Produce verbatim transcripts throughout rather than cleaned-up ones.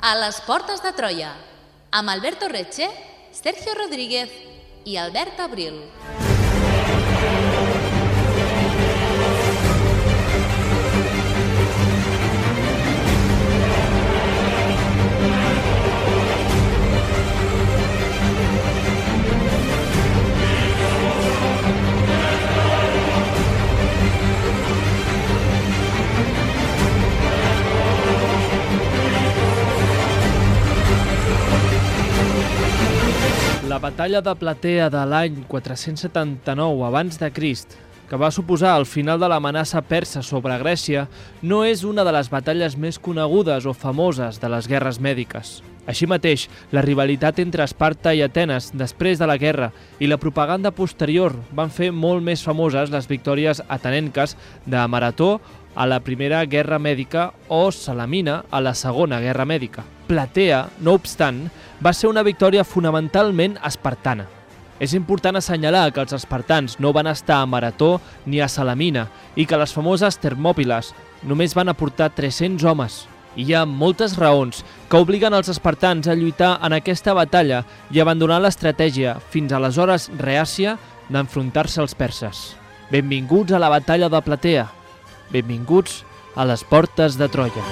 A les portes de Troia, amb Alberto Reche, Sergio Rodríguez i Albert Abril. La batalla de Platea de l'any quatre-cents setanta-nou abans de Crist, que va suposar el final de l'amenaça persa sobre Grècia, no és una de les batalles més conegudes o famoses de les guerres mèdiques. Així mateix, la rivalitat entre Esparta i Atenes després de la guerra i la propaganda posterior van fer molt més famoses les victòries atenenques de Marató a la Primera Guerra Mèdica o Salamina a la Segona Guerra Mèdica. Platea, no obstant, va ser una victòria fonamentalment espartana. És important assenyalar que els espartans no van estar a Marató ni a Salamina i que les famoses Termòpiles només van aportar tres-cents homes. I hi ha moltes raons que obliguen els espartans a lluitar en aquesta batalla i abandonar l'estratègia fins aleshores reàcia d'enfrontar-se als perses. Benvinguts a la batalla de Platea. Benvinguts a les portes de Troia.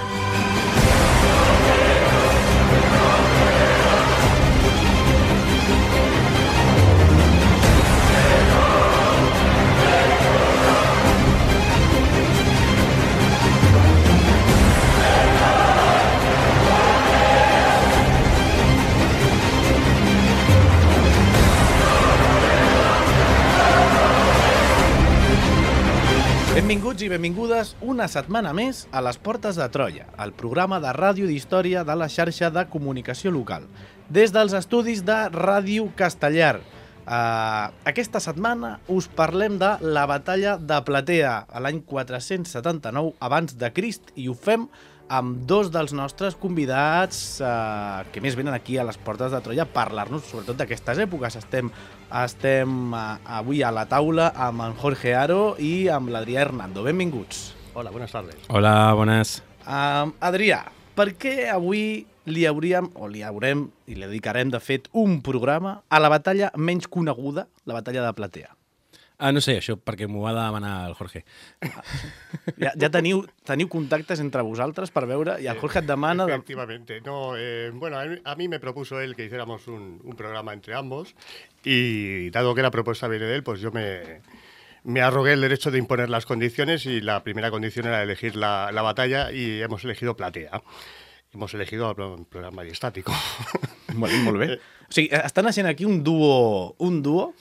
Benvinguts i benvingudes una setmana més a les Portes de Troia, el programa de ràdio d'història de la xarxa de comunicació local. Des dels estudis de Ràdio Castellar. Uh, aquesta setmana us parlem de la batalla de Platea a l'any quatre-cents setanta-nou abans de Crist i ho fem amb dos dels nostres convidats uh, que més venen aquí a les Portes de Troia a parlar-nos sobretot d'aquestes èpoques. Estem, estem uh, avui a la taula amb en Jorge Haro i amb l'Adrià Hernando. Benvinguts. Hola, buenas tardes. Hola, buenas. Uh, Adrià, per què avui li hauríem, o li haurem, i li dedicarem de fet un programa a la batalla menys coneguda, la batalla de Platea? Ah, no sé, això perquè m'ho va demanar el Jorge. Ja, ja teniu, teniu contactes entre vosaltres per veure, i el Jorge et demana... De... Efectivamente. No, eh, bueno, a mí, a mí me propuso él que hiciéramos un, un programa entre ambos y dado que la propuesta viene de él, pues yo me, me arrogué el derecho de imponer las condiciones y la primera condición era elegir la, la batalla y hemos elegido Platea. Hemos elegido el programa estático. Molt, molt bé. O sigui, està naixent aquí un duo... Un duo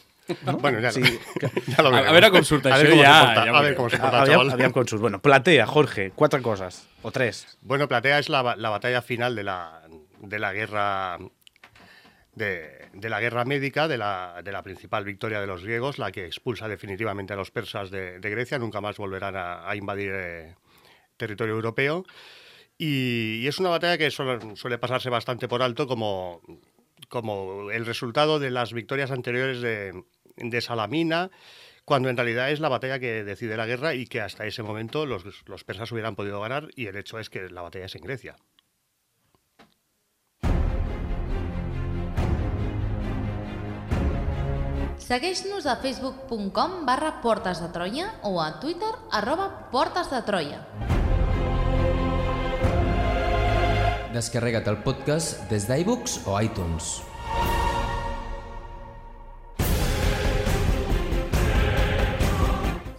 ¿no? Bueno, ya, sí, que, ya lo veremos. A veure com surt a això, ja, porta, ja a ver cómo se porta, aviam, chaval. aviam com surt. Bueno, Platea, Jorge, quatre coses, o tres. Bueno, Platea es la, la batalla final de la, de la guerra... De, de la guerra médica, de la, de la principal victoria de los griegos, la que expulsa definitivamente a los persas de, de Grecia, nunca más volverán a, a invadir eh, territorio europeo. Y, y es una batalla que suele, suele pasarse bastante por alto como, como el resultado de las victorias anteriores de, de Salamina, cuando en realidad es la batalla que decide la guerra y que hasta ese momento los, los persas hubieran podido ganar, y el hecho es que la batalla es en Grecia. Segueix-nos a facebook punt com barra Portes de Troia o a Twitter arroba Portes de Troia. Descarrega't el podcast des d'iBooks o iTunes.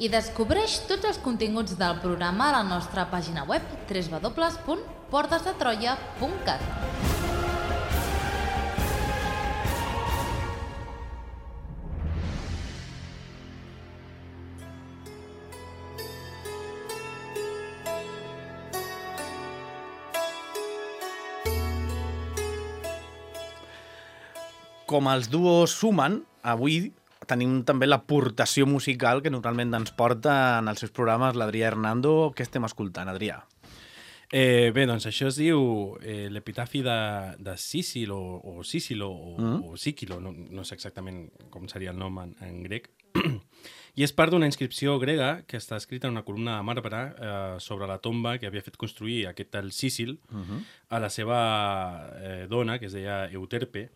I descobreix tots els continguts del programa a la nostra pàgina web w w w punt portes de troia punt cat. Com els duos sumen, avui tenim també l'aportació musical que normalment ens porta en els seus programes l'Adrià Hernando. Què estem escoltant, Adrià? Eh, bé, doncs això es diu eh, l'epitafi de, de Sísilo, o Sísilo, o, mm. o Síquilo, no, no sé exactament com seria el nom en, en grec, I és part d'una inscripció grega que està escrita en una columna de marbre eh, sobre la tomba que havia fet construir aquest tal Sísil uh-huh. a la seva eh, dona, que es deia Euterpe,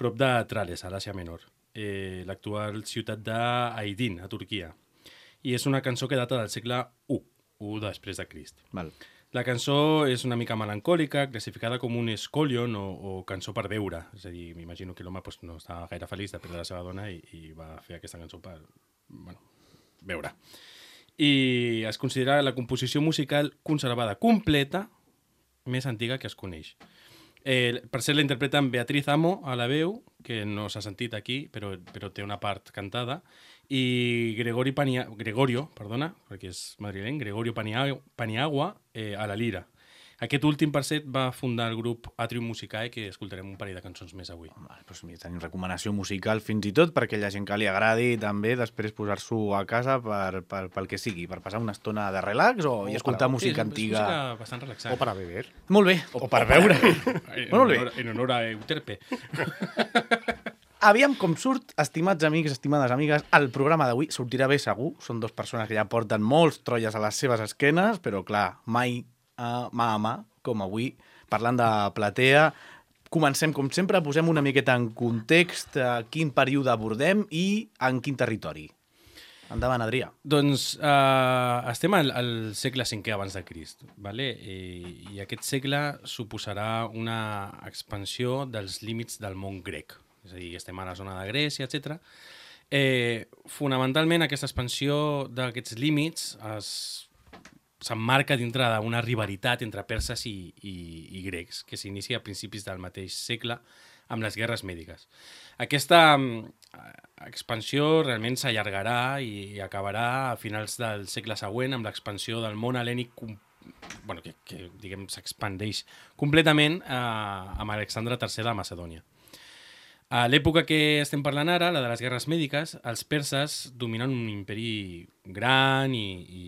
prop de Trales, a l'Àsia Menor, eh, l'actual ciutat d'Aydin, a Turquia. I és una cançó que data del segle u, u després de Crist. Val. La cançó és una mica melancòlica, classificada com un escolion o, o cançó per veure. És a dir, m'imagino que l'home pues, no està gaire feliç de perdre la seva dona i, i va fer aquesta cançó per bueno, veure. I es considera la composició musical conservada completa més antiga que es coneix. Eh, per cert, la interpreten Beatriz Amo a la veu, que no s'ha sentit aquí, però, però té una part cantada, i Gregori Pania, Gregorio, perdona, perquè és madrileny, Gregorio Paniagua, Paniagua eh, a la lira. Aquest últim, per cert, va fundar el grup Atrium Musicae, que escoltarem un parell de cançons més avui. Vale, doncs mira, tenim recomanació musical fins i tot perquè la gent que li agradi també després posar-s'ho a casa per, per, pel que sigui, per passar una estona de relax o, o i escoltar para, música sí, antiga. Música bastant relaxant. O para beber. Molt bé, o, o per veure. En, Molt bé. honor, en honor a Euterpe. Aviam com surt, estimats amics, estimades amigues, el programa d'avui sortirà bé segur. Són dues persones que ja porten molts trolles a les seves esquenes, però clar, mai a mà a mà, com avui, parlant de platea. Comencem, com sempre, posem una miqueta en context a quin període abordem i en quin territori. Endavant, Adrià. Doncs uh, estem al, al segle cinquè abans de Crist, vale? I, i aquest segle suposarà una expansió dels límits del món grec. És a dir, estem a la zona de Grècia, etcètera. Eh, fonamentalment, aquesta expansió d'aquests límits es s'emmarca dintre d'una rivalitat entre perses i, i, i grecs, que s'inicia a principis del mateix segle amb les guerres mèdiques. Aquesta um, expansió realment s'allargarà i, i acabarà a finals del segle següent amb l'expansió del món hel·lènic, bueno, que, que diguem s'expandeix completament eh, amb Alexandre tercer de Macedònia. A l'època que estem parlant ara, la de les guerres mèdiques, els perses dominen un imperi gran i, i,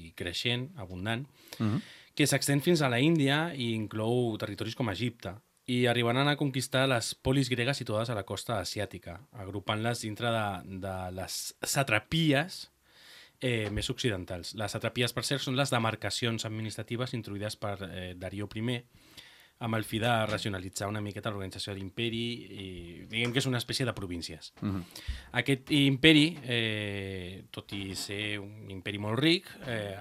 i creixent, abundant, uh-huh. que s'extén fins a la Índia i inclou territoris com Egipte, i arribaran a conquistar les polis gregues situades a la costa asiàtica, agrupant-les dintre de, de les satrapies eh, més occidentals. Les satrapies, per cert, són les demarcacions administratives introduïdes per eh, Darío primer, amb el fi de racionalitzar una miqueta l'organització de l'imperi i diguem que és una espècie de províncies. Uh-huh. Aquest imperi, eh, tot i ser un imperi molt ric, eh,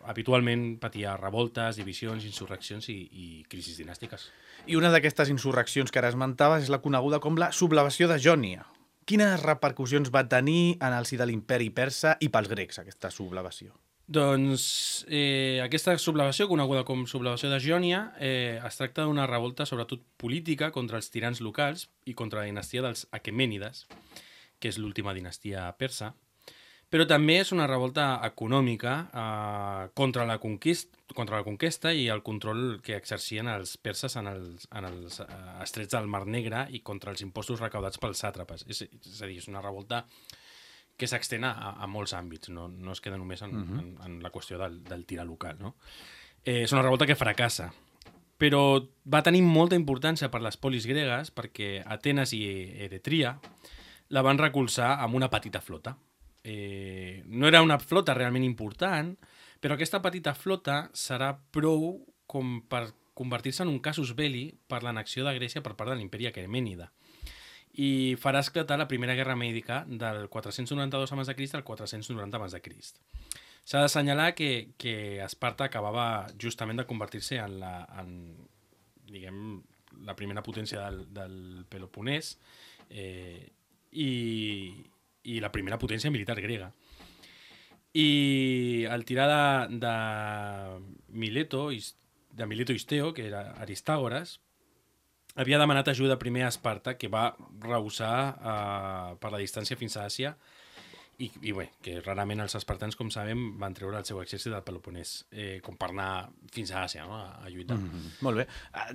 habitualment patia revoltes, divisions, insurreccions i, i crisis dinàstiques. I una d'aquestes insurreccions que ara esmentaves és la coneguda com la sublevació de Jònia. Quines repercussions va tenir en el si de l'imperi persa i pels grecs, aquesta sublevació? Doncs eh, aquesta sublevació, coneguda com sublevació de Jònia, eh, es tracta d'una revolta sobretot política contra els tirans locals i contra la dinastia dels Aquemènides, que és l'última dinastia persa, però també és una revolta econòmica eh, contra, la conquist, contra la conquesta i el control que exercien els perses en els, en els eh, estrets del Mar Negre i contra els impostos recaudats pels sàtrapes. És, és a dir, és una revolta que s'extén a, a molts àmbits, no, no es queda només en, uh-huh. en, en la qüestió del, del tir local. No? Eh, és una revolta que fracassa, però va tenir molta importància per les polis gregues perquè Atenes i Eretria la van recolzar amb una petita flota. Eh, no era una flota realment important, però aquesta petita flota serà prou com per convertir-se en un casus belli per l'annexió de Grècia per part de l'imperi Aquemènida i farà esclatar la primera guerra mèdica del quatre-cents noranta-dos abans de Crist al quatre-cents noranta abans de Crist. S'ha d'assenyalar que, que Esparta acabava justament de convertir-se en la, en, diguem, la primera potència del, del Peloponès eh, i, i la primera potència militar grega. I al tirar de, de Mileto, de Mileto Isteo, que era Aristàgores, havia demanat ajuda primer a Esparta, que va rehusar eh, per la distància fins a Àsia, i, i bé, que rarament els espartans, com sabem, van treure el seu exèrcit del Peloponès, eh, com per anar fins a Àsia, no? a, a lluitar. Mm-hmm. Molt bé.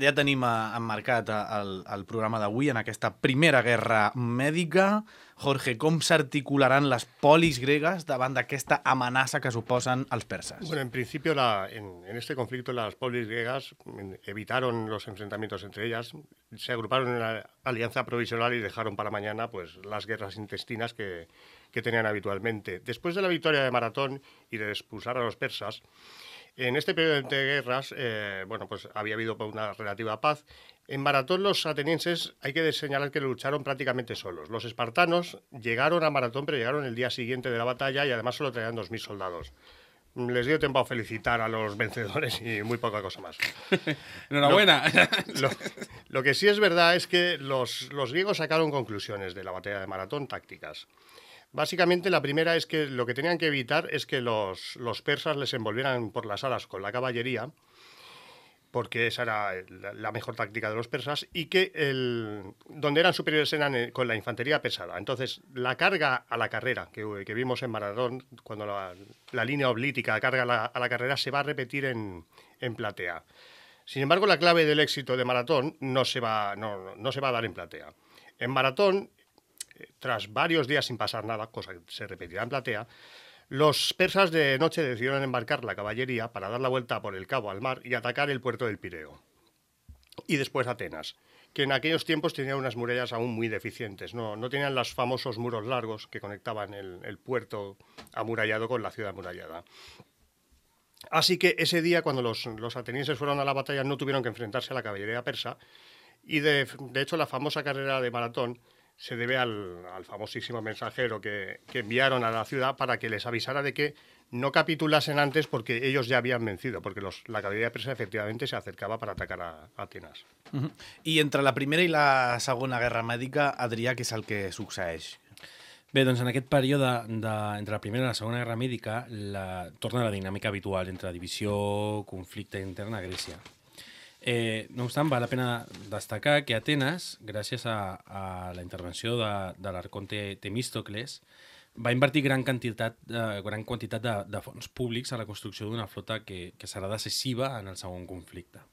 Ja tenim emmarcat el, el programa d'avui en aquesta primera guerra mèdica. Jorge, com s'articularan les polis gregues davant d'aquesta amenaça que suposen els perses? Bueno, en principio, la, en, en este conflicto, las polis griegas evitaron los enfrentamientos entre ellas, se agruparon en una alianza provisional y dejaron para mañana pues, las guerras intestinas que, que tenían habitualmente. Después de la victoria de Maratón y de expulsar a los persas, en este periodo de guerras, eh, bueno, pues había habido una relativa paz. En Maratón los atenienses hay que señalar que lucharon prácticamente solos. Los espartanos llegaron a Maratón, pero llegaron el día siguiente de la batalla y además solo traían dos mil soldados. Les dio tiempo a felicitar a los vencedores y muy poca cosa más. Enhorabuena. Lo, lo, lo que sí es verdad es que los, los griegos sacaron conclusiones de la batalla de Maratón tácticas. Básicamente la primera es que lo que tenían que evitar es que los, los persas les envolvieran por las alas con la caballería, porque esa era la, la mejor táctica de los persas, y que el, donde eran superiores eran con la infantería pesada. Entonces, la carga a la carrera que, que vimos en Maratón, cuando la, la línea oblítica carga a la, a la carrera, se va a repetir en, en Platea. Sin embargo, la clave del éxito de Maratón no se va, no, no se va a dar en Platea. En Maratón, tras varios días sin pasar nada, cosa que se repetirá en Platea, los persas de noche decidieron embarcar la caballería para dar la vuelta por el cabo al mar y atacar el puerto del Pireo. Y después Atenas, que en aquellos tiempos tenía unas murallas aún muy deficientes. No, no tenían los famosos muros largos que conectaban el, el puerto amurallado con la ciudad amurallada. Así que ese día, cuando los, los atenienses fueron a la batalla, no tuvieron que enfrentarse a la caballería persa. Y de, de hecho, la famosa carrera de Maratón se debe al, al famosísimo mensajero que, que enviaron a la ciudad para que les avisara de que no capitulasen antes porque ellos ya habían vencido, porque los, la caballería persa efectivamente se acercaba para atacar a, a Atenas. Uh-huh. I entre la Primera i la Segona Guerra Mèdica, Adrià, què és el que succeeix? Bé, doncs en aquest període de, entre la Primera i la Segona Guerra Mèdica la, torna la dinàmica habitual entre divisió, conflicte intern a Grècia. Eh, no obstant, val la pena destacar que Atenes, gràcies a, a la intervenció de, de l'arconte Temístocles, va invertir gran quantitat, eh, gran quantitat de, de fons públics a la construcció d'una flota que, que serà decisiva en el segon conflicte.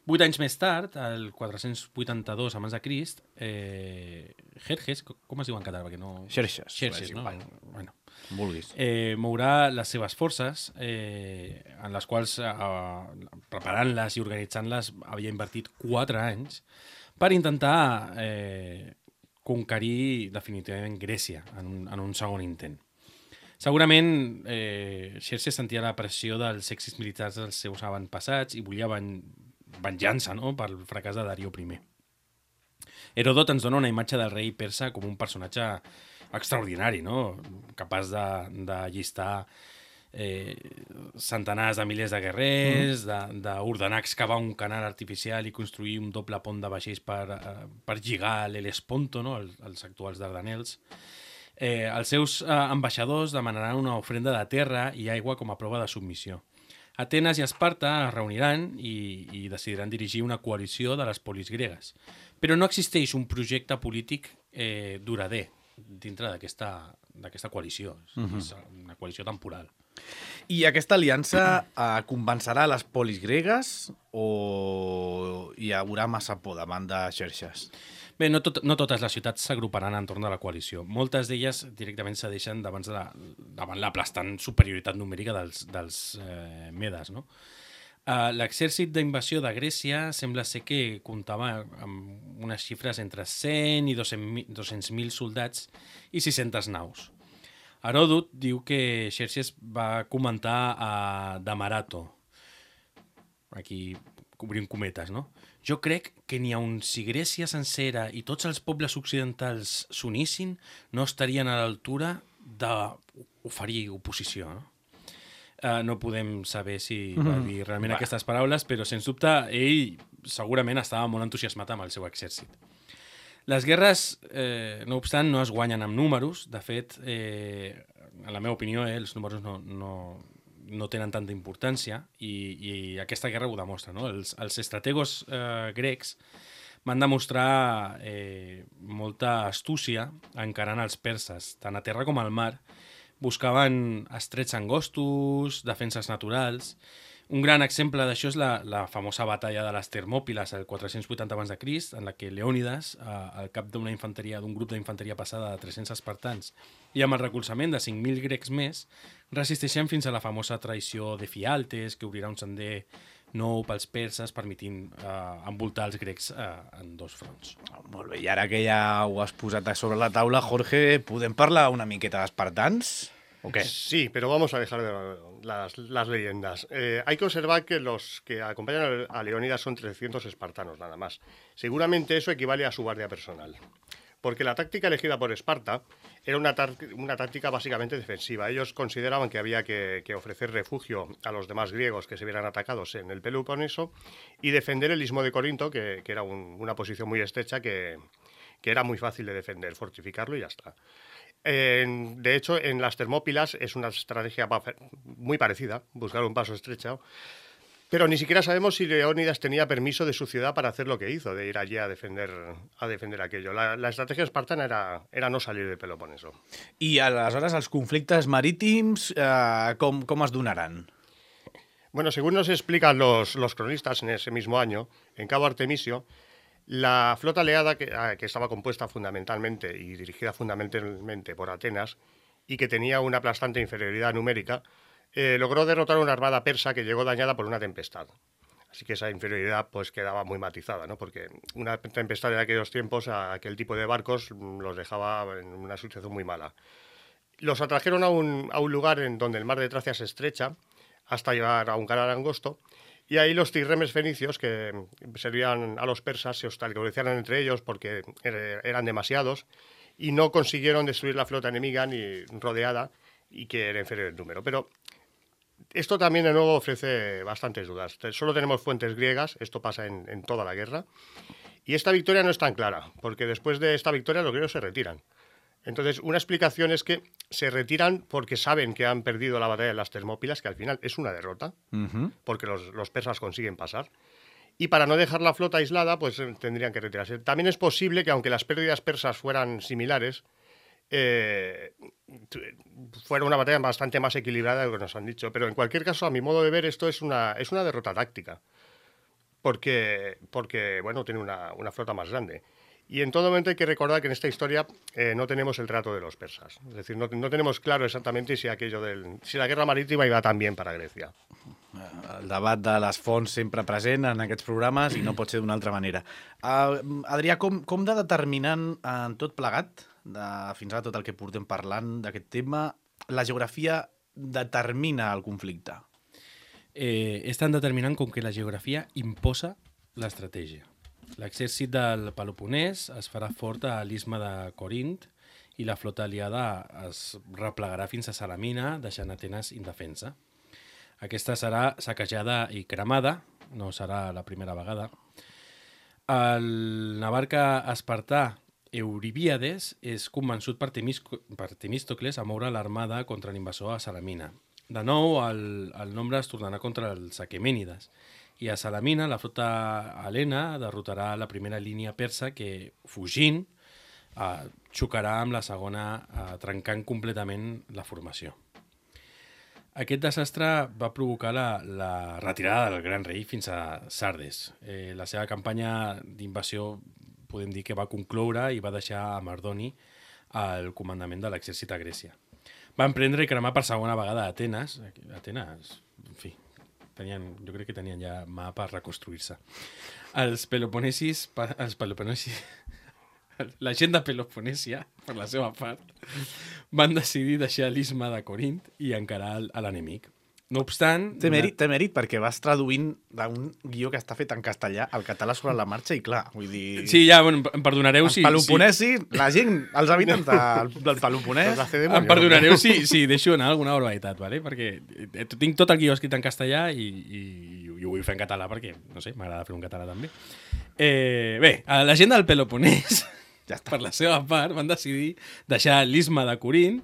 Vuit anys més tard, el quatre-cents vuitanta-dos abans de Crist, eh, Jerjes, com es diu en català? Perquè no... Xerxes. Xerxes, no? Bueno, vulguis. Eh, mourà les seves forces, eh, en les quals, eh, preparant-les i organitzant-les, havia invertit quatre anys per intentar eh, conquerir definitivament Grècia en un, en un segon intent. Segurament, eh, Xerxes sentia la pressió dels èxits militars dels seus avantpassats i volia ven venjança, no?, pel fracàs de Darío primer. Heròdot ens dona una imatge del rei persa com un personatge extraordinari, no?, capaç de, de llistar eh, centenars de milers de guerrers, mm. d'ordenar excavar un canal artificial i construir un doble pont de vaixells per, eh, per lligar l'Helesponto, no?, els, els actuals Dardanels. Eh, els seus eh, ambaixadors demanaran una ofrenda de terra i aigua com a prova de submissió. Atenes i Esparta es reuniran i, i decidiran dirigir una coalició de les polis gregues. Però no existeix un projecte polític eh, durader dintre d'aquesta coalició. Uh-huh. És una coalició temporal. I aquesta aliança eh, convencerà les polis gregues o hi haurà massa por davant de Xerxes? Bé, no, tot, no totes les ciutats s'agruparan entorn de la coalició. Moltes d'elles directament cedeixen davant, de la, davant l'aplastant superioritat numèrica dels, dels eh, Medes, no? Uh, L'exèrcit d'invasió de Grècia sembla ser que comptava amb unes xifres entre cent i dos-cents mil soldats i sis-centes naus. Heròdot diu que Xerxes va comentar a Damarato, aquí obrim cometes, no? Jo crec que n'hi ha un si Grècia sencera i tots els pobles occidentals s'unissin, no estarien a l'altura d'oferir oposició, no? Uh, no podem saber si va dir realment mm. aquestes paraules, però sens dubte ell segurament estava molt entusiasmat amb el seu exèrcit. Les guerres, eh, no obstant, no es guanyen amb números. De fet, eh, en la meva opinió, eh, els números no, no, no tenen tanta importància i, i aquesta guerra ho demostra, no? Els, els estrategos eh, grecs van demostrar eh, molta astúcia encarant els perses, tant a terra com al mar. Buscaven estrets angostos, defenses naturals, Un gran exemple d'això és la, la famosa batalla de les Termòpiles el quatre-cents vuitanta abans de Crist, en la que Leònides, eh, al cap d'una infanteria d'un grup d'infanteria passada de tres-cents espartans i amb el recolzament de cinc mil grecs més, resisteixen fins a la famosa traïció de Fialtes, que obrirà un sender nou pels perses, permitint eh, envoltar els grecs eh, en dos fronts. Oh, molt bé, i ara que ja ho has posat a sobre la taula, Jorge, podem parlar una miqueta d'espartans? ¿O qué? Sí, pero vamos a dejar de las, las leyendas. Eh, hay que observar que los que acompañan a Leónidas son trescientos espartanos, nada más. Seguramente eso equivale a su guardia personal. Porque la táctica elegida por Esparta era una, una táctica básicamente defensiva. Ellos consideraban que había que, que ofrecer refugio a los demás griegos que se vieran atacados en el Peloponeso y defender el istmo de Corinto, que, que era un, una posición muy estrecha que, que era muy fácil de defender, fortificarlo y ya está. Eh, de hecho, en las Termópilas es una estrategia muy parecida, buscar un paso estrecho, pero ni siquiera sabemos si Leónidas tenía permiso de su ciudad para hacer lo que hizo, de ir allí a defender, a defender aquello. La, la estrategia espartana era, era no salir de Peloponeso. I aleshores els conflictes marítims eh, com, com es donaran? Bueno, según nos explican los, los cronistas en ese mismo año, en Cabo Artemisio, la flota aliada, que, que estaba compuesta fundamentalmente y dirigida fundamentalmente por Atenas y que tenía una aplastante inferioridad numérica, eh, logró derrotar una armada persa que llegó dañada por una tempestad. Así que esa inferioridad pues quedaba muy matizada, ¿no? Porque una tempestad en aquellos tiempos a aquel tipo de barcos los dejaba en una situación muy mala. Los atrajeron a un, a un lugar en donde el mar de Tracia se estrecha hasta llegar a un canal angosto. Y ahí los trirremes fenicios, que servían a los persas, se hostilizan entre ellos porque eran demasiados y no consiguieron destruir la flota enemiga ni rodeada y que era inferior en número. Pero esto también de nuevo ofrece bastantes dudas. Solo tenemos fuentes griegas, esto pasa en, en toda la guerra, y esta victoria no es tan clara, porque después de esta victoria los griegos se retiran. Entonces, una explicación es que se retiran porque saben que han perdido la batalla de las Termópilas, que al final es una derrota, uh-huh. porque los, los persas consiguen pasar. Y para no dejar la flota aislada, pues tendrían que retirarse. También es posible que, aunque las pérdidas persas fueran similares, eh, fuera una batalla bastante más equilibrada de lo que nos han dicho. Pero en cualquier caso, a mi modo de ver, esto es una, es una derrota táctica. Porque, porque bueno, tiene una, una flota más grande. Y en todo momento hay que recordar que en esta historia eh, no tenemos el trato de los persas. Es decir, no, no tenemos claro exactamente si aquello del, si la guerra marítima iba tan bien para Grecia. El debat de les fonts sempre present en aquests programes i no pot ser d'una altra manera. Uh, Adrià, com, com de determinant en tot plegat, de, fins ara tot el que portem parlant d'aquest tema, la geografia determina el conflicte? Eh, és tan determinant com que la geografia imposa l'estratègia. L'exèrcit del Peloponès es farà fort a l'istme de Corint i la flota aliada es replegarà fins a Salamina, deixant Atenes indefensa. Aquesta serà saquejada i cremada, no serà la primera vegada. El navarca espartà Euribíades és convençut per, Temis, per Temístocles a moure l'armada contra l'invasor a Salamina. De nou, el, el nombre es tornarà contra els aquemènides. I a Salamina, la flota helena derrotarà la primera línia persa que, fugint, eh, xocarà amb la segona, eh, trencant completament la formació. Aquest desastre va provocar la, la retirada del gran rei fins a Sardes. Eh, la seva campanya d'invasió podem dir que va concloure i va deixar a Mardoni al comandament de l'exèrcit a Grècia. Van prendre i cremar per segona vegada a Atenes. Atenes, en fi, tenien, jo crec que tenien ja mà per reconstruir-se. Els peloponesis, els peloponesis, la gent de Peloponèsia, per la seva part, van decidir deixar l'istme de Corint i encarar a l'enemic. No obstant... Té mèrit, té mèrit perquè vas traduint d'un guió que està fet en castellà al català sobre la marxa i clar, vull dir... Sí, ja, bueno, em perdonareu si... Els peloponesis, sí. La gent, els habitants del, del Peloponès... Em perdonareu si, si deixo anar alguna barbaritat, ¿vale? Perquè tinc tot el guió escrit en castellà i, i, i ho vull fer en català perquè, no sé, m'agrada fer un català també. Eh, bé, la gent del Peloponès, ja per la seva part, van decidir deixar l'istme de Corint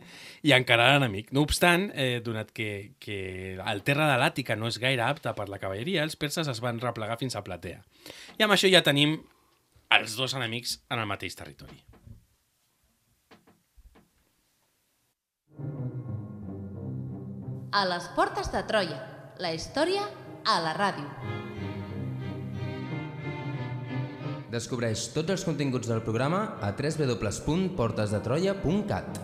i encarar l'enemic. No obstant, eh, donat que, que el terra de l'Àtica no és gaire apte per la cavalleria, els perses es van replegar fins a Platea. I amb això ja tenim els dos enemics en el mateix territori. A les portes de Troia, la història a la ràdio. Descobreix tots els continguts del programa a w w w punt portes de troia punt cat.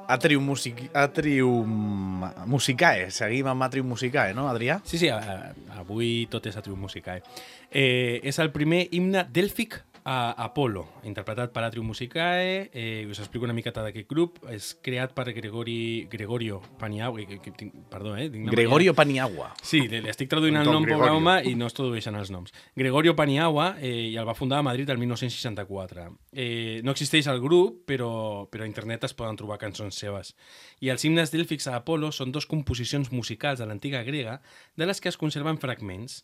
Atrium, music... Atrium Musicae. Seguim amb Atrium Musicae, no, Adrià? Sí, sí, a, a, avui tot és Atrium Musicae. Eh, és el primer himne dèlfic a Apolo, interpretat per Atrium Musicae. Eh, us explico una miqueta d'aquest grup. És creat per Gregori, Gregorio Paniagua. Que, que, que, perdó, eh? Gregorio Paniagua. Sí, li estic traduint el nom, pobre home, i no es tradueixen els noms. Gregorio Paniagua, eh, i el va fundar a Madrid el dinou seixanta-quatre. Eh, no existeix el grup, però, però a internet es poden trobar cançons seves. I els himnes dèlfics a Apolo són dos composicions musicals de l'antiga grega de les que es conserven fragments.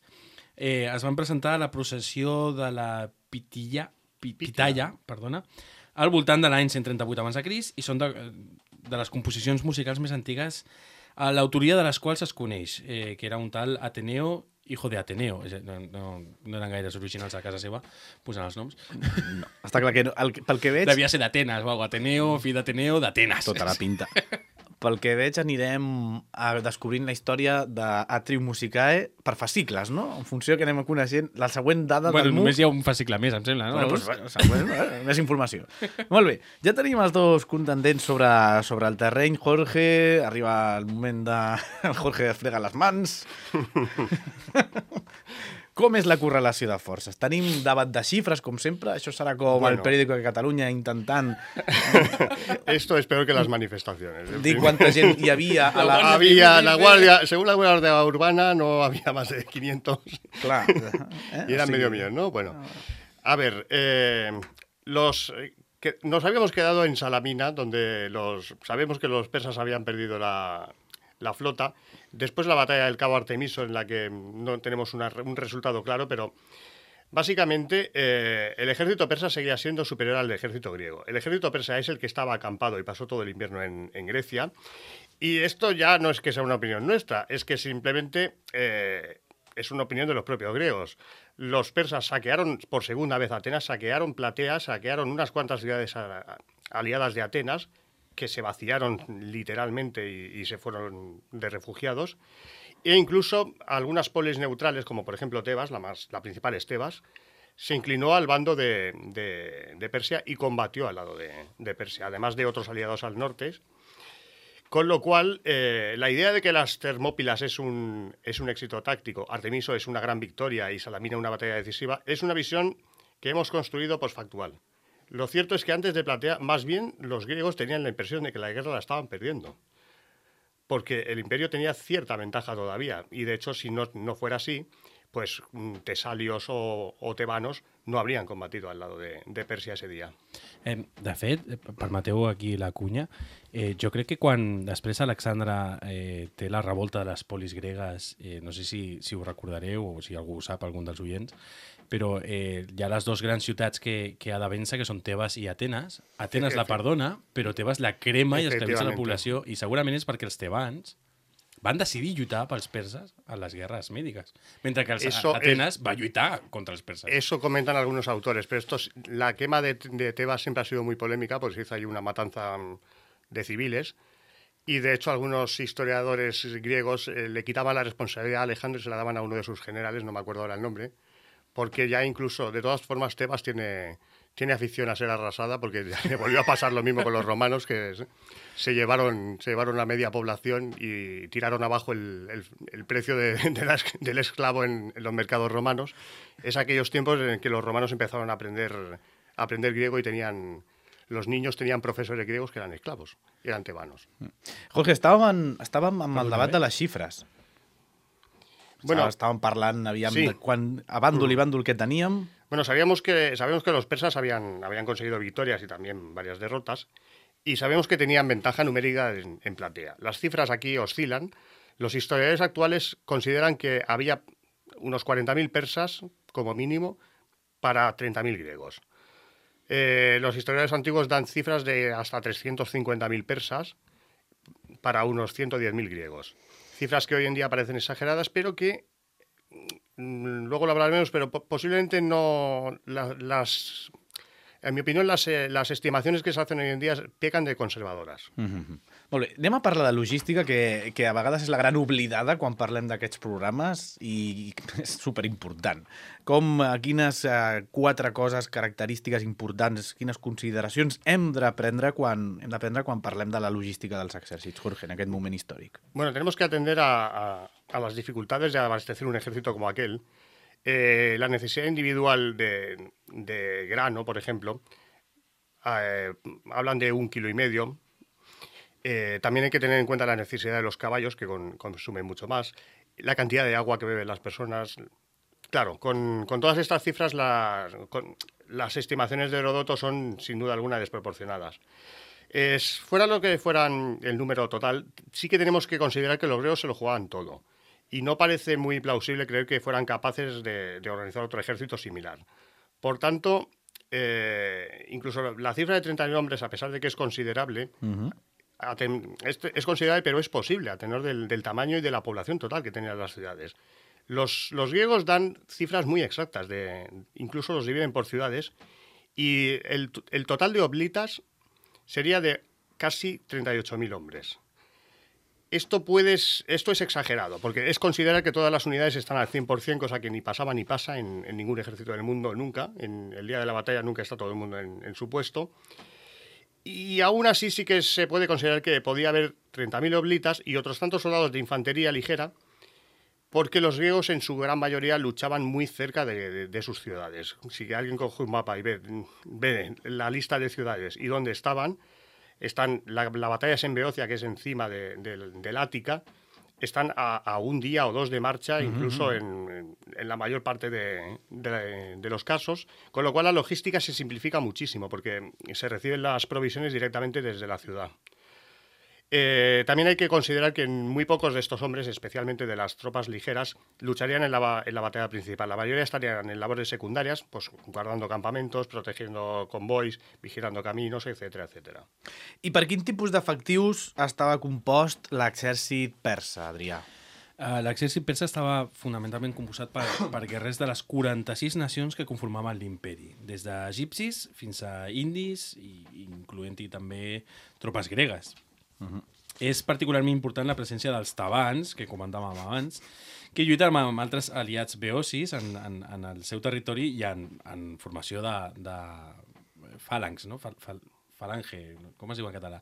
Eh, es van presentar a la processió de la Pitilla, Pitalla, perdona, al voltant de l'any cent trenta-vuit abans de Crist i són de, de les composicions musicals més antigues, a l'autoria de les quals es coneix, eh, que era un tal Ateneo, hijo de Ateneo. No, no, no eren gaires originals a casa seva posant els noms. No, està clar que no, el, pel que veig... Devia ser d'Atenes, o Ateneo, fill d'Ateneo, d'Atenes. Tota la pinta. Pel que veig anirem a descobrint la història d'Atrium Musicae per fascicles, no? En funció que anem coneixent la següent dada bueno, del M U. Només hi ha un fascicle més, em sembla, no? Bueno, pues, bueno, següent, eh? Més informació. Molt bé, ja tenim els dos contendents sobre, sobre el terreny. Jorge, arriba el moment de... El Jorge es frega les mans. Com és la correlació de forces? Tenim debat de xifres, com sempre? Això serà com bueno. El periòdico de Catalunya intentant... Esto es peor que las manifestaciones. Dir quanta gent hi havia a la... Había la guardia, según la Guardia Urbana, no había más de quinientos. Claro. ¿Eh? Y eran sí. medio millón, ¿no? Bueno, a ver, eh, los... Que nos habíamos quedado en Salamina, donde los sabemos que los persas habían perdido la... la flota. Después la batalla del Cabo Artemiso, en la que no tenemos una, un resultado claro, pero básicamente eh, el ejército persa seguía siendo superior al ejército griego. El ejército persa es el que estaba acampado y pasó todo el invierno en, en Grecia. Y esto ya no es que sea una opinión nuestra, es que simplemente eh, es una opinión de los propios griegos. Los persas saquearon por segunda vez Atenas, saquearon Platea, saquearon unas cuantas ciudades a, aliadas de Atenas, que se vaciaron literalmente y, y se fueron de refugiados, e incluso algunas polis neutrales, como por ejemplo Tebas, la, más, la principal es Tebas, se inclinó al bando de, de, de Persia y combatió al lado de, de Persia, además de otros aliados al norte, con lo cual eh, la idea de que las Termópilas es un, es un éxito táctico, Artemiso es una gran victoria y Salamina una batalla decisiva, es una visión que hemos construido postfactual. Lo cierto es que antes de Platea, más bien los griegos tenían la impresión de que la guerra la estaban perdiendo, porque el imperio tenía cierta ventaja todavía, y de hecho si no, no fuera así, pues tesalios o, o tebanos no habrían combatido al lado de, de Persia ese dia. Eh, de fet, permeteu aquí la cunya, eh, jo crec que quan després Alexandre eh, té la revolta de les polis gregues, eh, no sé si, si ho recordareu o si algú ho sap, algun dels oients, però eh, hi ha les dues grans ciutats que, que ha de vèncer, que són Tebas i Atenes. Atenes la perdona, però Tebas la crema i esclavitza la població, i segurament és perquè els tebans van decidir lluitar pels perses a les guerres médicas, mentre que els eso Atenas es, va lluitar contra els perses. Eso comentan algunos autores, pero esto, la quema de, de Tebas siempre ha sido muy polémica, porque se hizo ahí una matanza de civiles, y de hecho algunos historiadores griegos eh, le quitaban la responsabilidad a Alejandro y se la daban a uno de sus generales, no me acuerdo ahora el nombre, porque ya incluso, de todas formas, Tebas tiene, tiene afición a ser arrasada, porque ya le volvió a pasar lo mismo con los romanos, que se llevaron, se llevaron la media población y tiraron abajo el, el, el precio de, de la, del esclavo en, en los mercados romanos. Es aquellos tiempos en que los romanos empezaron a aprender, a aprender griego y tenían... Los niños tenían profesores griegos que eran esclavos, eran tebanos. Jorge, estàvem, estàvem amb el debat de les xifres. Bueno, estaban parlant, aviam, sí. de quan, a bàndol i bàndol que teníem. Bueno, sabíamos que, sabíamos que los persas habían, habían conseguido victorias y también varias derrotas, y sabemos que tenían ventaja numérica en, en Platea. Las cifras aquí oscilan. Los historiadores actuales consideran que había unos cuarenta mil persas, como mínimo, para treinta mil griegos. Eh, los historiadores antiguos dan cifras de hasta trescientos cincuenta mil persas para unos ciento diez mil griegos. cifras que hoy en día parecen exageradas, pero que luego lo hablaremos, pero posiblemente no la, las... En mi opinió, les, les estimacions que s'hacen hoy en dia pequen de conservadores. Mm-hmm. Molt bé, anem a parlar de logística, que, que a vegades és la gran oblidada quan parlem d'aquests programes i és superimportant. Com, quines eh, quatre coses, característiques importants, quines consideracions hem de prendre quan, hem de prendre quan parlem de la logística dels exèrcits, Jorge, en aquest moment històric? Bueno, tenemos que atender a, a, a las dificultades de abastecer un ejército como aquel. Eh, la necesidad individual de, de grano, por ejemplo, eh, hablan de un kilo y medio. Eh, también hay que tener en cuenta la necesidad de los caballos, que con, consumen mucho más, la cantidad de agua que beben las personas. Claro, con, con todas estas cifras, la, con, las estimaciones de Heródoto son sin duda alguna desproporcionadas. Es, fuera lo que fueran el número total, sí que tenemos que considerar que los griegos se lo jugaban todo. Y no parece muy plausible creer que fueran capaces de, de organizar otro ejército similar. Por tanto, eh, incluso la cifra de treinta mil hombres, a pesar de que es considerable, uh-huh. aten, es, es considerable, pero es posible a tenor del, del tamaño y de la población total que tenían las ciudades. Los, los griegos dan cifras muy exactas, de, incluso los dividen por ciudades, y el, el total de oblitas sería de casi treinta y ocho mil hombres. Esto, puedes, esto es exagerado, porque es considerar que todas las unidades están al cien por cien, cosa que ni pasaba ni pasa en, en ningún ejército del mundo nunca. En el día de la batalla nunca está todo el mundo en, en su puesto. Y aún así sí que se puede considerar que podía haber treinta mil oblitas y otros tantos soldados de infantería ligera, porque los griegos en su gran mayoría luchaban muy cerca de, de, de sus ciudades. Si alguien coge un mapa y ve, ve la lista de ciudades y dónde estaban, Están, la, la batalla es en Beocia, que es encima de, de, del Ática, están a, a un día o dos de marcha, uh-huh. incluso en, en, en la mayor parte de, de, de los casos, con lo cual la logística se simplifica muchísimo, porque se reciben las provisiones directamente desde la ciudad. Eh, también hay que considerar que muy pocos de estos hombres, especialmente de las tropas ligeras, lucharían en la, en la batalla principal. La mayoría estarían en labores secundarias, pues guardando campamentos, protegiendo convois, vigilando caminos, etcètera, etcètera. I per quin tipus d'efectius estava compost l'exèrcit persa, Adrià? Uh, L'exèrcit persa estava fonamentalment composat per, per guerrers de les quaranta-sis nacions que conformaven l'imperi, des d'egipcis fins a indis, i incloent-hi també tropes gregues. Uh-huh. És particularment important la presència dels tabans, que comentàvem abans, que lluiten amb altres aliats beocis en, en, en el seu territori i en, en formació de, de fàlangs, no? Fal, fal, falange, com es diu en català?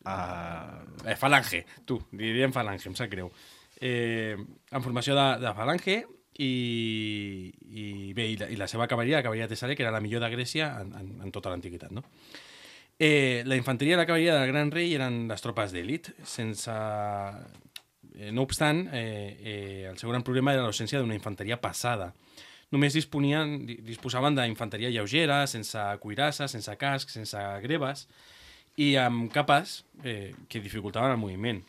Uh... Eh, falange, tu, diríem falange, em sap greu. Eh, en formació de, de falange i, i bé, i la, i la seva cavalleria, la cavalleria tessàlia, que era la millor de Grècia en, en, en tota l'antiguitat, no? Eh, la infanteria i la cavalleria del Gran Rei eren les tropes d'elit, sense... Eh, no obstant, eh, eh, el seu gran problema era l'ausència d'una infanteria pesada. Només disponien, disposaven d'infanteria lleugera, sense cuirasses, sense cascs, sense greves, i amb capes eh, que dificultaven el moviment.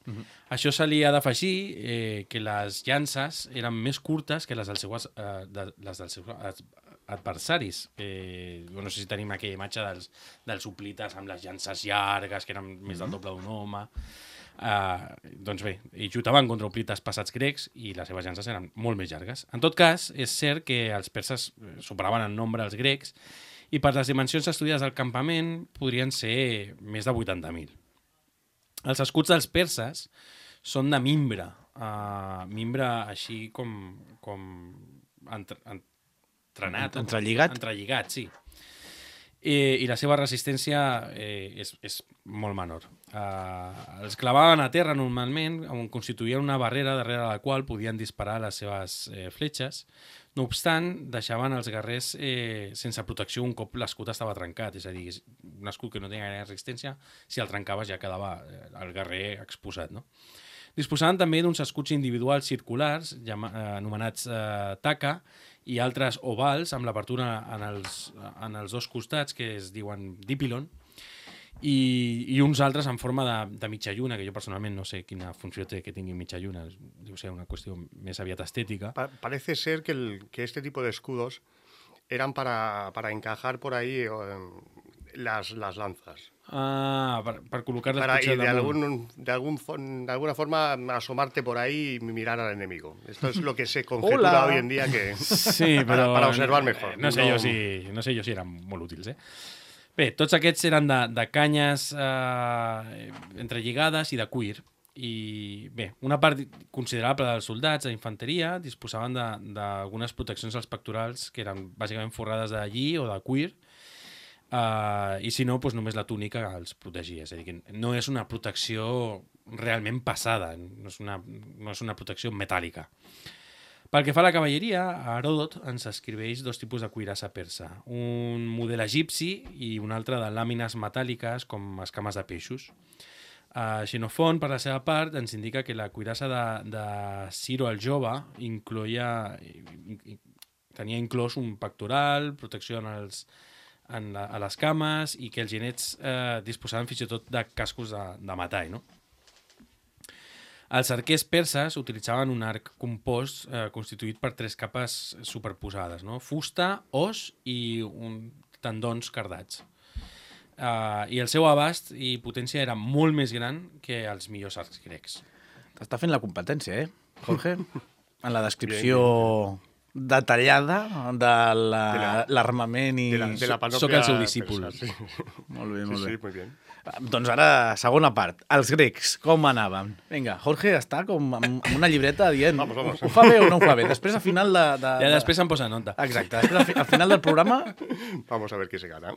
Uh-huh. Això se li ha d'afegir eh, que les llances eren més curtes que les dels seus, eh, de, les dels seus adversaris. Eh, no sé si tenim aquella imatge dels, dels hoplites amb les llances llargues, que eren uh-huh. més del doble d'un home. Uh, doncs bé, ells lluitaven contra hoplites passats grecs i les seves llances eren molt més llargues. En tot cas, és cert que els perses superaven en nombre els grecs i per les dimensions estudiades del campament podrien ser més de vuitanta mil. Els escuts dels perses són de mimbre, uh, mimbre així com, com entre, entrenat, entrelligat. entrelligat, sí. I, i la seva resistència eh, és, és molt menor. Uh, els clavaven a terra normalment, on constituïen una barrera darrere la qual podien disparar les seves eh, fletxes. No obstant, deixaven els guerrers eh, sense protecció un cop l'escut estava trencat, és a dir, un escut que no tenia gaire resistència, si el trencaves ja quedava el guerrer exposat, no? Disposaven també d'uns escuts individuals circulars, llama, eh, anomenats eh, taca, i altres ovals amb l'apertura en, els, en els dos costats, que es diuen dipilon, i, i uns altres en forma de, de mitja lluna, que jo personalment no sé quina funció té que tingui mitja lluna, deu ser una qüestió més aviat estètica. Pa parece ser que, el, que este tipo de escudos eran para, para encajar por ahí eh, las, las lanzas. Ah, per, per col·locar-les Para, y potser de, damunt. algún, de, algún, fon- de alguna forma asomarte por ahí y mirar al enemigo. Esto es lo que se conjetura Hola. hoy en día que Sí, para, però... para observar mejor. No sé, jo si, no sé jo si eren molt útils, eh? Bé, tots aquests eren de, de canyes eh, entrelligades i de cuir. I bé, una part considerable dels soldats d'infanteria disposaven d'algunes proteccions als pectorals que eren bàsicament forrades de lli o de cuir, uh, i si no, doncs només la túnica els protegia. És a dir, que no és una protecció realment passada, no és una, no és una protecció metàl·lica. Pel que fa a la cavalleria, Heròdot ens escriveix dos tipus de cuirassa persa, un model egipci i un altre de làmines metàl·liques com escames de peixos. Uh, Xenofont, per la seva part, ens indica que la cuirassa de, de Ciro el Jove incloïa, tenia inclòs un pectoral, protecció en els, en la, a les cames i que els genets eh, disposaven fins i tot de cascos de, de metall, no? Els arquers perses utilitzaven un arc compost eh, constituït per tres capes superposades, no? Fusta, os i un, tendons cardats. Uh, I el seu abast i potència era molt més gran que els millors arcs grecs. T'està fent la competència, eh, Jorge? En la descripció detallada de l'armament la, i... De la, de la panòplia Soc el seu discípul. persa, sí. Molt bé, molt Sí, bé. sí, muy bien. Doncs ara, segona part. Els grecs, com anaven? Vinga, Jorge està com amb, amb una llibreta dient Vamos, vamos. ho fa bé o no ho fa bé. Després, al final de... de, Ja de... després em posa nota. Exacte. Després, al, fi, al final del programa... Vamos a ver qué se gana.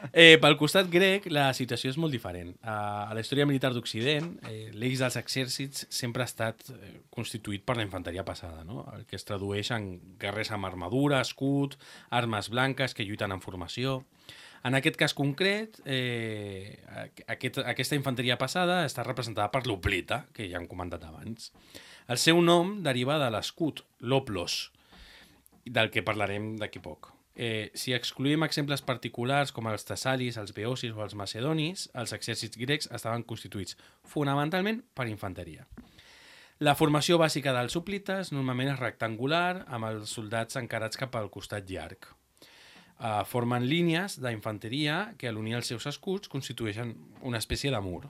Eh, pel costat grec, la situació és molt diferent. Uh, a la història militar d'Occident, eh, l'eix dels exèrcits sempre ha estat eh, constituït per la infanteria passada, no? El que es tradueix en guerrers amb armadura, escut, armes blanques que lluiten en formació. En aquest cas concret, eh, aquest, aquesta infanteria passada està representada per l'oplita, que ja hem comentat abans. El seu nom deriva de l'escut, l'oplos, del que parlarem d'aquí poc. Eh, si excluïm exemples particulars com els tessalis, els beocis o els macedonis, els exèrcits grecs estaven constituïts fonamentalment per infanteria. La formació bàsica dels hoplites normalment és rectangular, amb els soldats encarats cap al costat llarg. Uh, formen línies d'infanteria que a l'unir els seus escuts constitueixen una espècie de mur.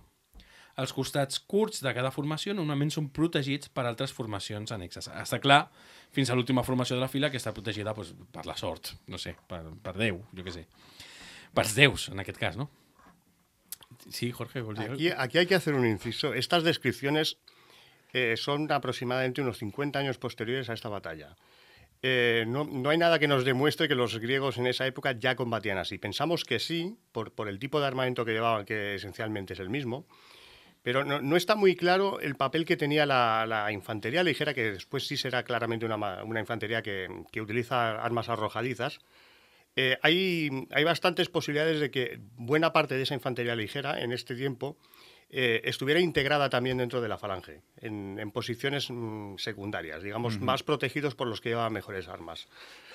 Els costats curts de cada formació normalment són protegits per altres formacions annexes. Està clar, fins a l'última formació de la fila, que està protegida pues, per la sort, no sé, per, per Déu, jo què sé. Per déus, en aquest cas, no? Sí, Jorge, vols dir Aquí, aquí hay que hacer un inciso. Estas descripciones eh, son aproximadamente unos cincuenta años posteriores a esta batalla. Eh, no, no hay nada que nos demuestre que los griegos en esa época ya combatían así. Pensamos que sí, por, por el tipo de armamento que llevaban, que esencialmente es el mismo, pero no, no está muy claro el papel que tenía la, la infantería ligera, que después sí será claramente una, una infantería que, que utiliza armas arrojadizas. Eh, hay, hay bastantes posibilidades de que buena parte de esa infantería ligera en este tiempo Eh, estuviera integrada también dentro de la falange, en, en posiciones mmm, secundarias, digamos, uh-huh. más protegidos por los que llevaban mejores armas.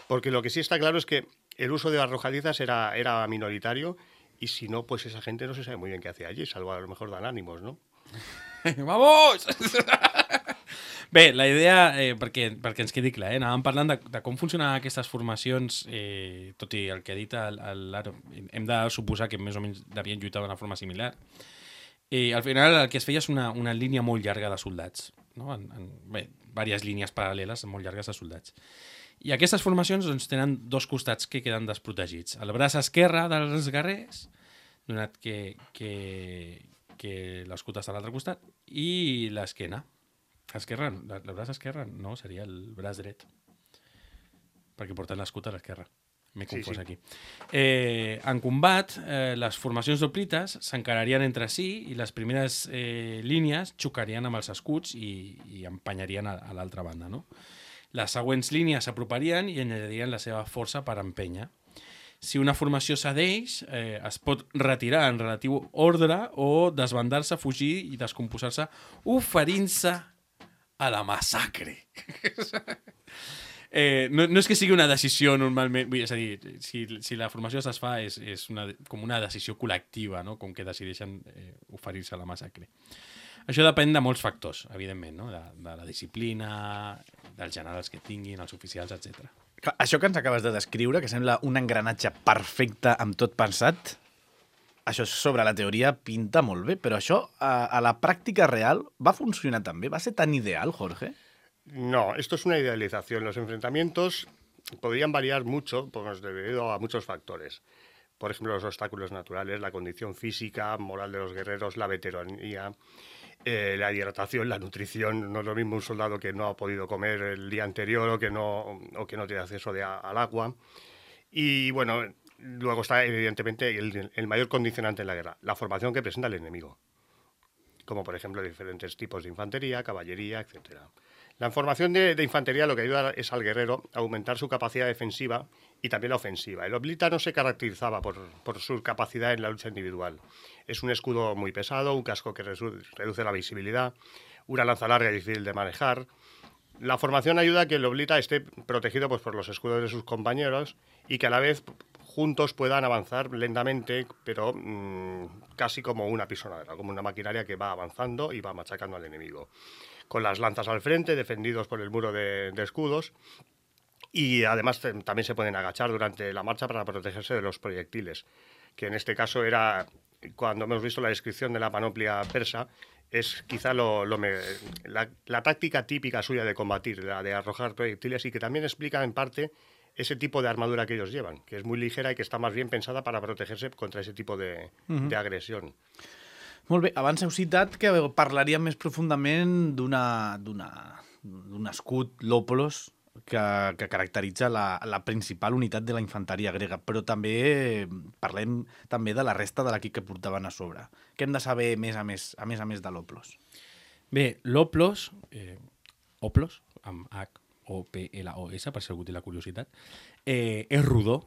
Porque lo que sí está claro es que el uso de arrojadizas era, era minoritario y si no, pues esa gente no se sabe muy bien qué hacía allí, salvo a lo mejor dan ánimos, ¿no? ¡Vamos! Bé, la idea, eh, perquè, perquè ens quedi clar, eh, anàvem parlant de, de com funcionaven aquestes formacions, eh, tot i el que ha dit l'Aro, hem de suposar que més o menys devien lluitar d'una forma similar. I al final el que es feia és una, una línia molt llarga de soldats, no? en, en, bé, diverses línies paral·leles molt llargues de soldats. I aquestes formacions doncs, tenen dos costats que queden desprotegits. El braç esquerre dels guerrers, donat que, que, que l'escut està a l'altre costat, i l'esquena. Esquerra, el braç esquerre no, seria el braç dret, perquè porten l'escut a l'esquerra. M'he confós sí, sí. aquí. Eh, en combat, eh, les formacions d'hoplites s'encararien entre si i les primeres eh, línies xocarien amb els escuts i, i empenyarien a, a l'altra banda. No? Les següents línies s'aproparien i añadirien la seva força per empènyer. Si una formació cedeix, eh, es pot retirar en relatiu ordre o desbandar-se, fugir i descomposar-se, oferint-se a la massacre. Eh, no, no és que sigui una decisió normalment, vull, és a dir, si, si la formació es desfà és, és una, com una decisió col·lectiva, no? Com que decideixen eh, oferir-se a la massacre. Això depèn de molts factors, evidentment, no? de, de la disciplina, dels generals que tinguin, els oficials, etcètera. Això que ens acabes de descriure, que sembla un engranatge perfecte amb tot pensat, això sobre la teoria pinta molt bé, però això a, a la pràctica real va funcionar tan bé? Va ser tan ideal, Jorge? No, esto es una idealización. Los enfrentamientos podrían variar mucho pues, debido a muchos factores. Por ejemplo, los obstáculos naturales, la condición física, moral de los guerreros, la veteranía, eh, la hidratación, la nutrición. No es lo mismo un soldado que no ha podido comer el día anterior o que no, o que no tiene acceso de, al agua. Y bueno, luego está evidentemente el, el mayor condicionante en la guerra, la formación que presenta el enemigo. Como por ejemplo diferentes tipos de infantería, caballería, etcétera. La formación de, de infantería lo que ayuda es al guerrero a aumentar su capacidad defensiva y también la ofensiva. El Oblita no se caracterizaba por, por su capacidad en la lucha individual. Es un escudo muy pesado, un casco que reduce la visibilidad, una lanza larga y difícil de manejar. La formación ayuda a que el Oblita esté protegido pues, por los escudos de sus compañeros y que a la vez juntos puedan avanzar lentamente, pero mmm, casi como una pisonadora, como una maquinaria que va avanzando y va machacando al enemigo. Con las lanzas al frente, defendidos por el muro de, de escudos, y además también se pueden agachar durante la marcha para protegerse de los proyectiles, que en este caso era, cuando hemos visto la descripción de la panoplia persa, es quizá lo, lo me, la, la táctica típica suya de combatir, la de arrojar proyectiles, y que también explica en parte ese tipo de armadura que ellos llevan, que es muy ligera y que está más bien pensada para protegerse contra ese tipo de, uh-huh. de agresión. Molt bé, abans heu citat que parlaríem més profundament d'una d'un escut, l'Oplos, que, que caracteritza la, la principal unitat de la infanteria grega, però també parlem també de la resta de l'equip que portaven a sobre. Què hem de saber més a més a més, a més de l'Oplos? Bé, l'Oplos, eh, Oplos, amb H O P L O S, per si algú té la curiositat, eh, és rodó,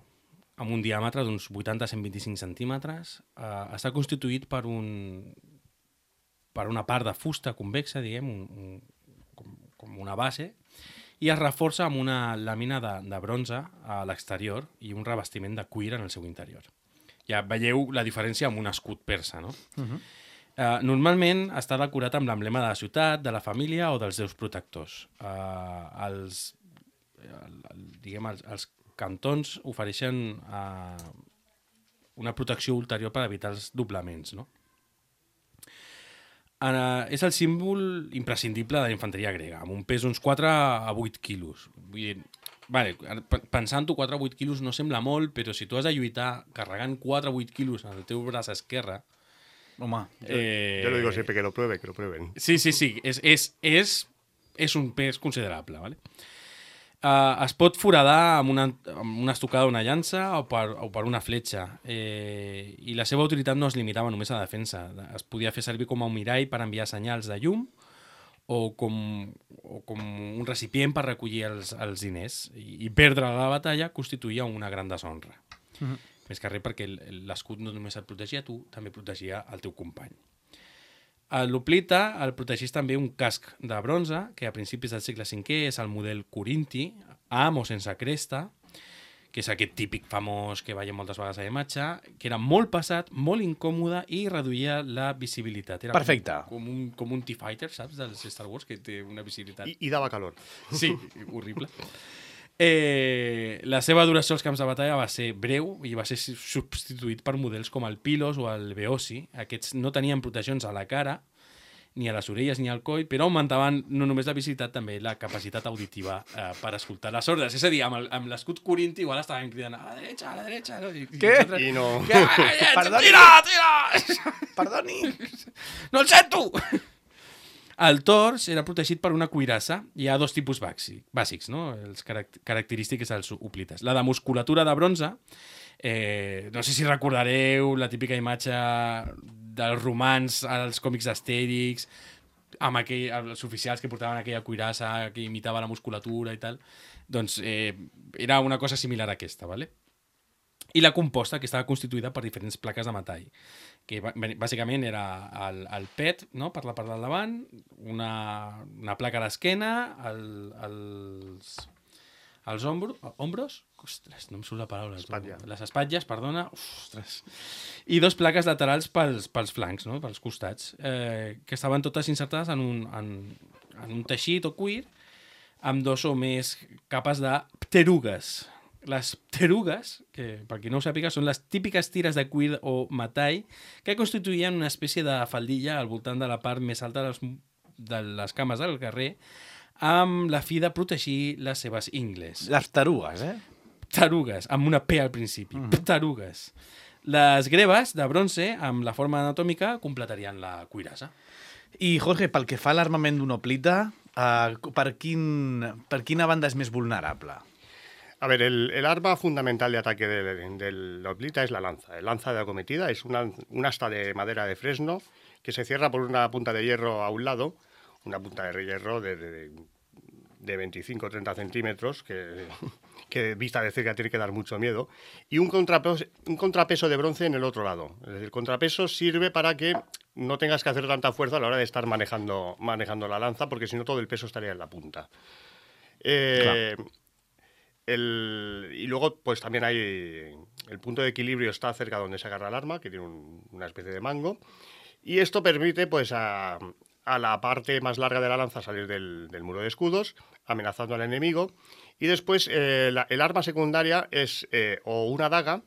amb un diàmetre d'uns vuitanta a cent vint-i-cinc centímetres. Eh, està constituït per, un, per una part de fusta convexa, diguem, un, un, com, com una base, i es reforça amb una làmina de, de bronze a l'exterior i un revestiment de cuir en el seu interior. Ja veieu la diferència amb un escut persa, no? Uh-huh. eh, normalment està decorat amb l'emblema de la ciutat, de la família o dels déus protectors. Eh, els, el, el, diguem, els, els cantons ofereixen eh, una protecció ulterior per evitar els doblaments, no? Uh, és el símbol imprescindible de la infanteria grega, amb un pes d'uns quatre a vuit quilos. Vull dir, vale, pensant-ho, quatre a vuit quilos no sembla molt, però si tu has de lluitar carregant quatre a vuit quilos en el teu braç esquerre... Home, eh, yo lo digo siempre, que lo prueben, que lo prueben. Sí, sí, sí, és, és, és, és un pes considerable, ¿vale? Uh, es pot foradar amb una, amb una estocada d'una llança o per, o per una fletxa, eh, i la seva utilitat no es limitava només a la defensa. Es podia fer servir com a un mirall per enviar senyals de llum o com, o com un recipient per recollir els, els diners, i, i perdre la batalla constituïa una gran deshonra. Uh-huh. Més que res perquè l'escut no només et protegia tu, també protegia el teu company. L'Oplita el protegís també un casc de bronze, que a principis del segle cinquè és el model corinti, amb o sense cresta, que és aquest típic famós que veiem moltes vegades a la imatge, que era molt pesat, molt incòmode i reduïa la visibilitat. Era Perfecte. Com, com, un, com un T-Fighter, saps, dels Star Wars, que té una visibilitat... I, i dava calor. Sí, horrible. Eh, la seva duració als camps de batalla va ser breu i va ser substituït per models com el Pilos o el Beosi. Aquests no tenien proteccions a la cara, ni a les orelles ni al coll, però augmentaven no només la visibilitat, també la capacitat auditiva eh, per escoltar les ordres. És a dir, amb l'escut corinti igual estaven cridant a la dreta, a la dreta... No? I, Què? I, I no... Perdoni! Tira, tira! Perdoni! No el sento! El tors era protegit per una cuirassa. Hi ha dos tipus bàsics, no? Els carac característics dels hoplites. La de musculatura de bronze, eh, no sé si recordareu la típica imatge dels romans als còmics d'Astèrix, amb aquell, els oficials que portaven aquella cuirassa que imitava la musculatura i tal. Doncs eh, era una cosa similar a aquesta, ¿vale? I la composta, que estava constituïda per diferents plaques de metall, que bàsicament era el, el pet, no?, per la part del davant, una, una placa a l'esquena, el, els, els ombros, ombros, ostres, no em surt la paraula, Espatlla. les espatlles, perdona, ostres, i dos plaques laterals pels, pels flancs, no?, pels costats, eh, que estaven totes insertades en un, en, en un teixit o cuir, amb dos o més capes de pterugues. Les pterugues, que per qui no ho sàpiga, són les típiques tires de cuir o metall que constituïen una espècie de faldilla al voltant de la part més alta de les, de les cames del carrer, amb la fi de protegir les seves ingles. Les tarugues, eh? Tarugues, amb una P al principi. Mm. Tarugues. Les greves de bronze, amb la forma anatòmica, completarien la cuirassa. I, Jorge, pel que fa a l'armament d'una hoplita, uh, per, quin, per quina banda és més vulnerable? A ver, el, el arma fundamental de ataque de, de la hoplita es la lanza. El lanza de acometida es una, un asta de madera de fresno que se cierra por una punta de hierro a un lado, una punta de hierro de, de, de veinticinco o treinta centímetros, que, que vista de cerca tiene que dar mucho miedo, y un contrapeso, un contrapeso de bronce en el otro lado. Es decir, el contrapeso sirve para que no tengas que hacer tanta fuerza a la hora de estar manejando, manejando la lanza, porque si no todo el peso estaría en la punta. Eh, claro. El, y luego, pues también hay el punto de equilibrio está cerca donde se agarra el arma, que tiene un, una especie de mango, y esto permite, pues, a, a la parte más larga de la lanza salir del, del muro de escudos, amenazando al enemigo, y después eh, la, el arma secundaria es eh, o una daga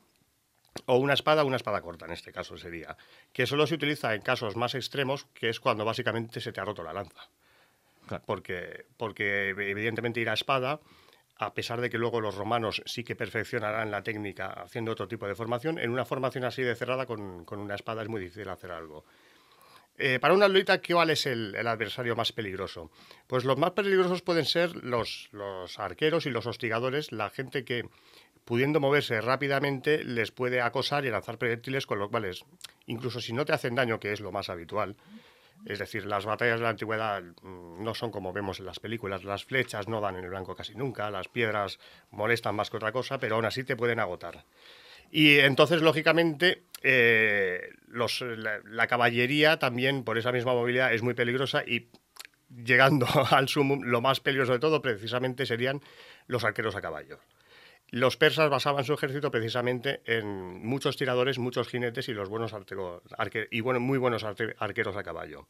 o una espada, una espada corta, en este caso sería, que solo se utiliza en casos más extremos, que es cuando básicamente se te ha roto la lanza, claro. porque, porque evidentemente ir a espada, a pesar de que luego los romanos sí que perfeccionarán la técnica haciendo otro tipo de formación, en una formación así de cerrada con, con una espada es muy difícil hacer algo. Eh, para un atleta, ¿cuál es el, el adversario más peligroso? Pues los más peligrosos pueden ser los, los arqueros y los hostigadores, la gente que, pudiendo moverse rápidamente, les puede acosar y lanzar proyectiles, con lo cual, incluso si no te hacen daño, que es lo más habitual. Es decir, las batallas de la antigüedad no son como vemos en las películas. Las flechas no dan en el blanco casi nunca, las piedras molestan más que otra cosa, pero aún así te pueden agotar. Y entonces, lógicamente, eh, los, la, la caballería también, por esa misma movilidad, es muy peligrosa y, llegando al sumum, lo más peligroso de todo precisamente serían los arqueros a caballo. Los persas basaban su ejército precisamente en muchos tiradores, muchos jinetes y los buenos arqueros, arque, y bueno, muy buenos arque, arqueros a caballo.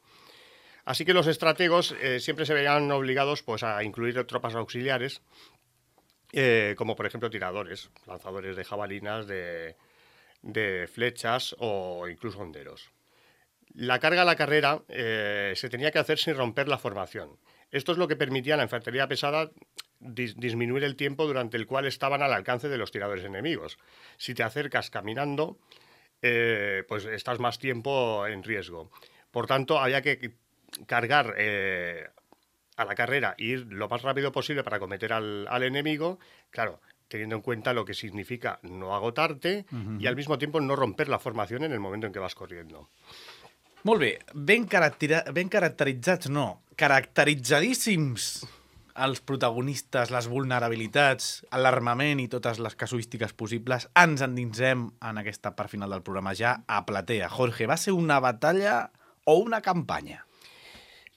Así que los estrategos eh, siempre se veían obligados, pues, a incluir tropas auxiliares, eh, como por ejemplo tiradores, lanzadores de jabalinas, de, de flechas o incluso honderos. La carga a la carrera eh, se tenía que hacer sin romper la formación. Esto es lo que permitía a la infantería pesada dis disminuir el tiempo durante el cual estaban al alcance de los tiradores enemigos. Si te acercas caminando, eh, pues estás más tiempo en riesgo. Por tanto, había que cargar eh, a la carrera e ir lo más rápido posible para acometer al, al enemigo, claro, teniendo en cuenta lo que significa no agotarte uh-huh. y al mismo tiempo no romper la formación en el momento en que vas corriendo. Molt bé, ben, caracteri ben caracteritzats, no, caracteritzadíssims els protagonistes, les vulnerabilitats, l'armament i totes les casuístiques possibles. Ens endinsem en aquesta part final del programa ja a Platea. Jorge, ¿va ser una batalla o una campaña?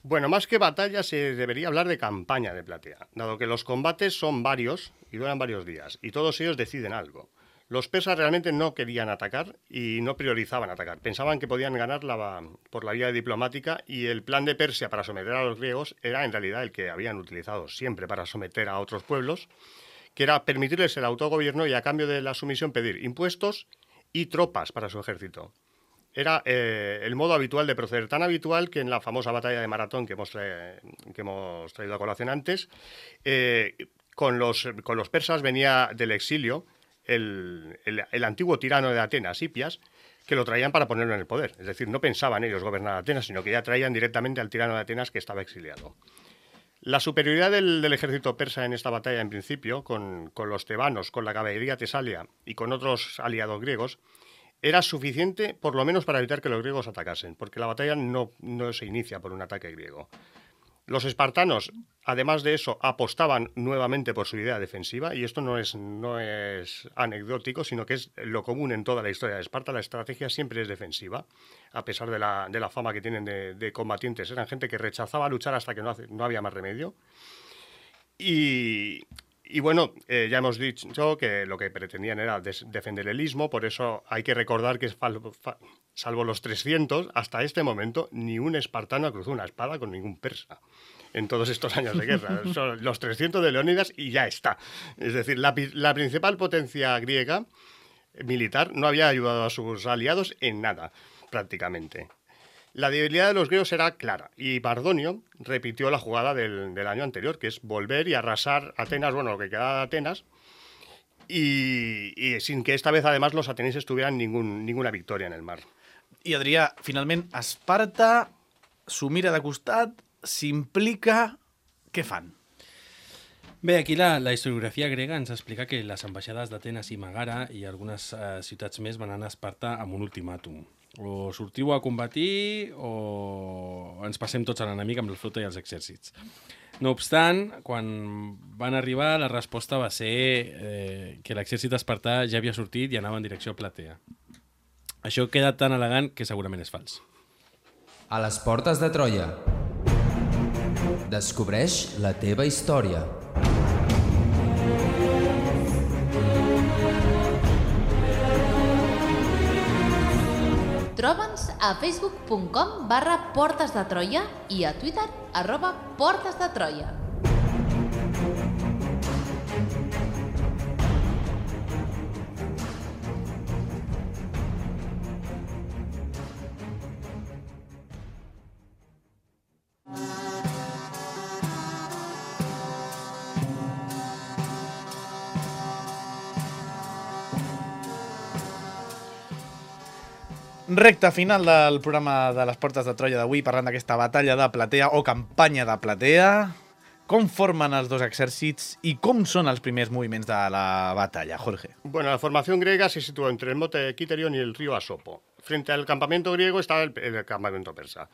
Bueno, más que batalla se debería hablar de campaña de Platea, dado que los combates son varios y duran varios días, y todos ellos deciden algo. Los persas realmente no querían atacar y no priorizaban atacar. Pensaban que podían ganar la, por la vía diplomática, y el plan de Persia para someter a los griegos era en realidad el que habían utilizado siempre para someter a otros pueblos, que era permitirles el autogobierno y a cambio de la sumisión pedir impuestos y tropas para su ejército. Era eh, el modo habitual de proceder, tan habitual que en la famosa batalla de Maratón que hemos, tra que hemos traído a colación antes, eh, con, los, con los persas venía del exilio El, el, el antiguo tirano de Atenas, Hipias, que lo traían para ponerlo en el poder. Es decir, no pensaban ellos gobernar Atenas, sino que ya traían directamente al tirano de Atenas que estaba exiliado. La superioridad del, del ejército persa en esta batalla, en principio, con, con los tebanos, con la caballería tesalia y con otros aliados griegos, era suficiente por lo menos para evitar que los griegos atacasen, porque la batalla no, no se inicia por un ataque griego. Los espartanos, además de eso, apostaban nuevamente por su idea defensiva, y esto no es, no es anecdótico, sino que es lo común en toda la historia de Esparta. La estrategia siempre es defensiva, a pesar de la, de la fama que tienen de, de combatientes. Eran gente que rechazaba luchar hasta que no, hace, no había más remedio. Y, y bueno, eh, ya hemos dicho que lo que pretendían era des, defender el istmo, por eso hay que recordar que es falso. Salvo los trescientos, hasta este momento, ni un espartano cruzó una espada con ningún persa. en todos estos años de guerra. Son los trescientos de Leónidas y ya está. Es decir, la, la principal potencia griega militar no había ayudado a sus aliados en nada, prácticamente. La debilidad de los griegos era clara y Mardonio repitió la jugada del, del año anterior, que es volver y arrasar Atenas, bueno, lo que queda de Atenas, y, y sin que esta vez además los atenienses tuvieran ningún, ninguna victoria en el mar. I Adrià, finalment, Esparta s'ho mira de costat, s'implica... Què fan? Bé, aquí la, la historiografia grega ens explica que les ambaixades d'Atenes i Megara i algunes eh, ciutats més van anar a Esparta amb un ultimàtum. O sortiu a combatir o ens passem tots a l'enemic amb la flota i els exèrcits. No obstant, quan van arribar, la resposta va ser eh, que l'exèrcit espartà ja havia sortit i anava en direcció a Platea. Això queda tan elegant que segurament és fals. A les portes de Troia. Descobreix la teva història. Troba'ns a facebook punt com barra Portes de Troia i a Twitter arroba Portes de Troia. Recta final del programa de les Portes de Troia d'avui, parlant d'aquesta batalla de Platea o campanya de Platea. Com formen els dos exèrcits i com són els primers moviments de la batalla, Jorge? Bueno, la formación griega se situó entre el monte Kiterion y el río Asopo. Frente al campamento griego estaba el, el campamento persa.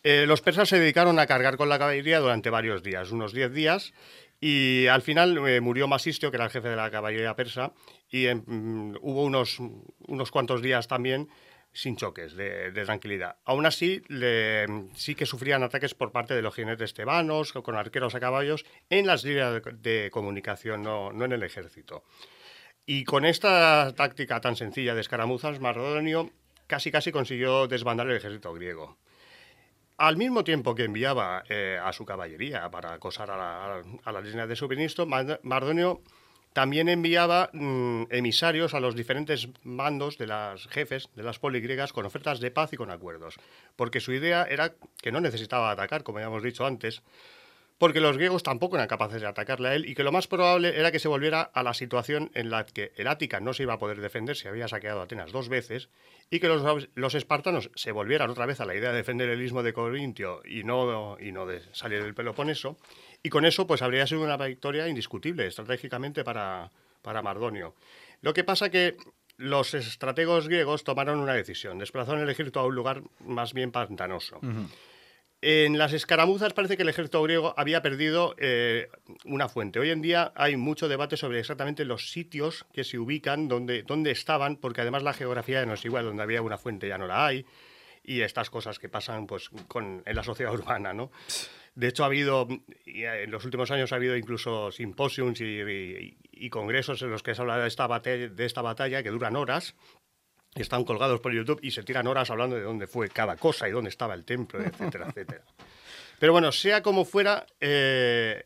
Eh, los persas se dedicaron a cargar con la caballería durante varios días, unos diez días, y al final eh, murió Masistio, que era el jefe de la caballería persa, y eh, hubo unos, unos cuantos días también sin choques, de, de tranquilidad. Aún así, le, sí que sufrían ataques por parte de los jinetes tebanos, con arqueros a caballos, en las líneas de, de comunicación, no, no en el ejército. Y con esta táctica tan sencilla de escaramuzas, Mardonio casi casi consiguió desbandar el ejército griego. Al mismo tiempo que enviaba eh, a su caballería para acosar a la, a, a la línea de suministro, Mardonio también enviaba mmm, emisarios a los diferentes mandos de las jefes de las poligriegas con ofertas de paz y con acuerdos, porque su idea era que no necesitaba atacar, como ya hemos dicho antes, porque los griegos tampoco eran capaces de atacarle a él y que lo más probable era que se volviera a la situación en la que el Ática no se iba a poder defender, se había saqueado Atenas dos veces, y que los, los espartanos se volvieran otra vez a la idea de defender el istmo de Corintio y no, y no de salir del Peloponeso. Y con eso pues habría sido una victoria indiscutible estratégicamente para, para Mardonio. Lo que pasa que los estrategos griegos tomaron una decisión, desplazaron el ejército a un lugar más bien pantanoso. Uh-huh. En las escaramuzas parece que el ejército griego había perdido eh, una fuente. Hoy en día hay mucho debate sobre exactamente los sitios que se ubican, dónde, dónde estaban, porque además la geografía no es igual, donde había una fuente ya no la hay, y estas cosas que pasan pues, con, en la sociedad urbana, ¿no? De hecho, ha habido, en los últimos años ha habido incluso simposiums y, y, y congresos en los que se habla de esta, batalla, de esta batalla que duran horas, están colgados por YouTube y se tiran horas hablando de dónde fue cada cosa y dónde estaba el templo, etcétera, etcétera. Pero bueno, sea como fuera, eh,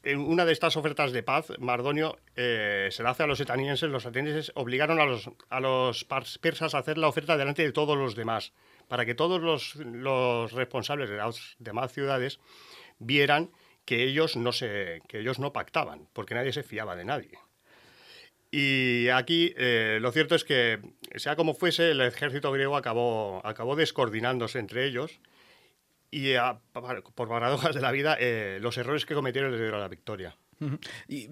en una de estas ofertas de paz, Mardonio eh, se la hace a los atenienses. Los atenienses obligaron a los, a los persas a hacer la oferta delante de todos los demás, para que todos los, los responsables de las demás ciudades vieran que ellos no se, que ellos no pactaban, porque nadie se fiaba de nadie. Y aquí eh, lo cierto es que, sea como fuese, el ejército griego acabó, acabó descoordinándose entre ellos y, a, por paradojas de la vida, eh, los errores que cometieron les dieron la victòria. Uh-huh. I,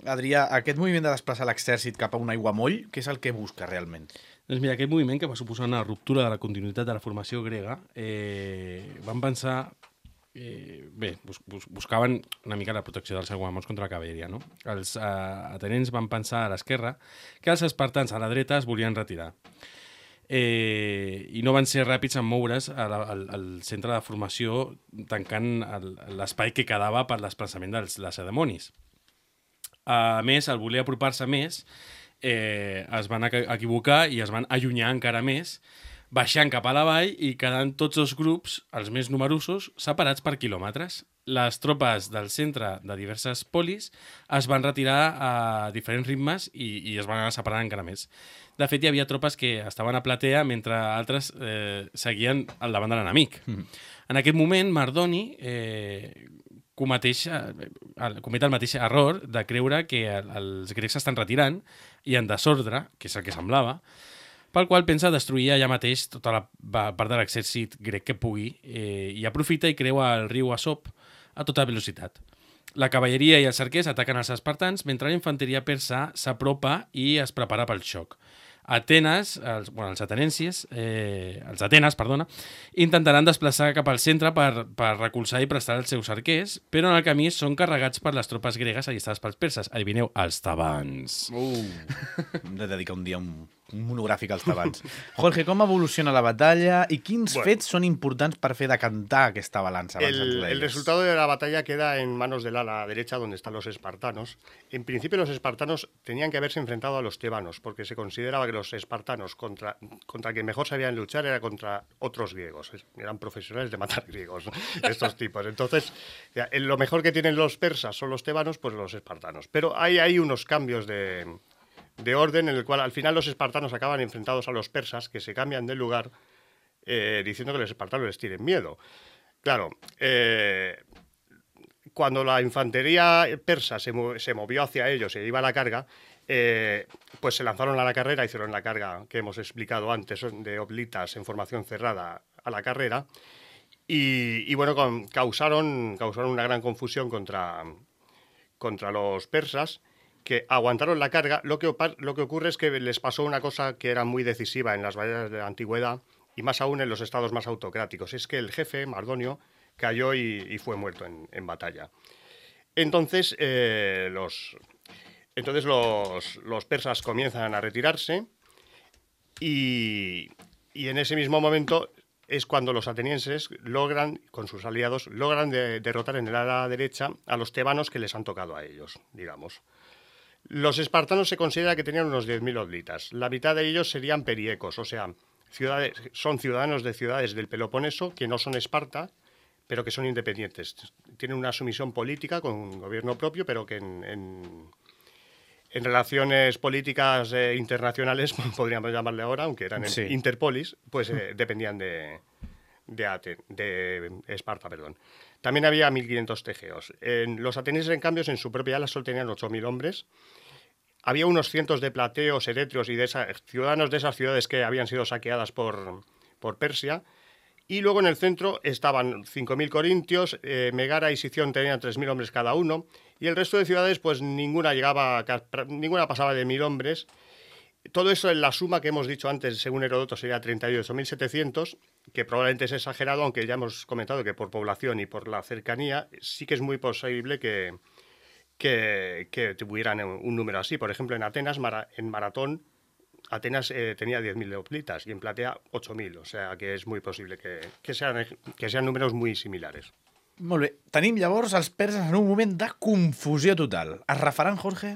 Adrià, aquest moviment de desplaçar l'exèrcit cap a un aiguamoll, què és el que busca realment? Doncs mira, aquest moviment, que va suposar una ruptura de la continuïtat de la formació grega, eh, van pensar... Eh, bé, bus, bus, buscaven una mica la protecció dels aiguamolls contra la cavalleria, no? Els eh, atenents van pensar a l'esquerra que els espartans a la dreta es volien retirar eh, i no van ser ràpids en moure's al, al, al centre de formació, tancant l'espai que quedava per l'esplaçament dels lacedemonis. A més, al voler apropar-se més, eh, es van equivocar i es van allunyar encara més, baixant cap a la vall i quedant tots els grups, els més numerosos, separats per quilòmetres. les tropes del centre de diverses polis es van retirar a diferents ritmes i, i es van anar separant encara més. De fet, hi havia tropes que estaven a platea mentre altres eh, seguien al davant de l'enemic. Mm. En aquest moment, Mardoni eh, cometeix, eh, comet el mateix error de creure que els grecs s'estan retirant i en desordre, que és el que semblava, pel qual pensa destruir allà mateix tota la part de l'exèrcit grec que pugui eh, i aprofita i creua el riu Asop a tota velocitat. La cavalleria i els arquers ataquen els espartans mentre la infanteria persa s'apropa i es prepara pel xoc. Atenes, els, bueno, els atenensis, eh, els Atenes, perdona, intentaran desplaçar cap al centre per, per recolzar i prestar els seus arquers, però en el camí són carregats per les tropes gregues allistades pels perses. Adivineu, els tebans. Uh, hem de dedicar un dia un, un monogràfic als tebans. Jorge, com evoluciona la batalla i quins bueno, fets son importants per fer decantar aquesta balanza? El, el resultado de la batalla queda en manos del ala derecha, donde están los espartanos. En principio, los espartanos tenían que haberse enfrentado a los tebanos, porque se consideraba que los espartanos contra, contra quien mejor sabían luchar era contra otros griegos. Eran profesionales de matar griegos, estos tipos. Entonces, ya, lo mejor que tienen los persas son los tebanos, pues los espartanos. Pero hay, hay unos cambios de, de orden en el cual al final los espartanos acaban enfrentados a los persas, que se cambian de lugar eh, diciendo que los espartanos les tienen miedo. Claro, eh, cuando la infantería persa se, se movió hacia ellos e iba a la carga, Eh, pues se lanzaron a la carrera, hicieron la carga que hemos explicado antes de hoplitas en formación cerrada a la carrera y, y bueno, con, causaron, causaron una gran confusión contra, contra los persas, que aguantaron la carga. Lo que, lo que ocurre es que les pasó una cosa que era muy decisiva en las batallas de la antigüedad y más aún en los estados más autocráticos, es que el jefe, Mardonio, cayó y, y fue muerto en, en batalla. Entonces, eh, los... Entonces los, los persas comienzan a retirarse y, y en ese mismo momento es cuando los atenienses logran, con sus aliados, logran de, derrotar en el ala derecha a los tebanos que les han tocado a ellos, digamos. Los espartanos se considera que tenían unos diez mil odlitas. La mitad de ellos serían periecos, o sea, ciudades, son ciudadanos de ciudades del Peloponeso que no son Esparta, pero que son independientes. Tienen una sumisión política con un gobierno propio, pero que en... en En relaciones políticas eh, internacionales, podríamos llamarle ahora, aunque eran sí. interpolis, pues eh, dependían de, de, Aten, de Esparta. Perdón. También había mil quinientos tegeos. En, los atenienses, en cambio, en su propia ala solo tenían ocho mil hombres. Había unos cientos de plateos, eretrios y de esa, ciudadanos de esas ciudades que habían sido saqueadas por, por Persia. Y luego en el centro estaban cinco mil corintios, eh, Megara y Sición tenían tres mil hombres cada uno, y el resto de ciudades, pues ninguna llegaba, ninguna pasaba de mil hombres. Todo eso en la suma que hemos dicho antes, según Heródoto, sería treinta y ocho mil setecientos, que probablemente es exagerado, aunque ya hemos comentado que por población y por la cercanía, sí que es muy posible que, que, que tuvieran un número así. Por ejemplo, en Atenas, en Maratón, Atenas eh, tenía diez mil hoplitas y en Platea ocho mil, o sea que és muy posible que, que, sean, que sean números muy similares. Molt bé. Tenim llavors els perses en un moment de confusió total. Es refaran, Jorge?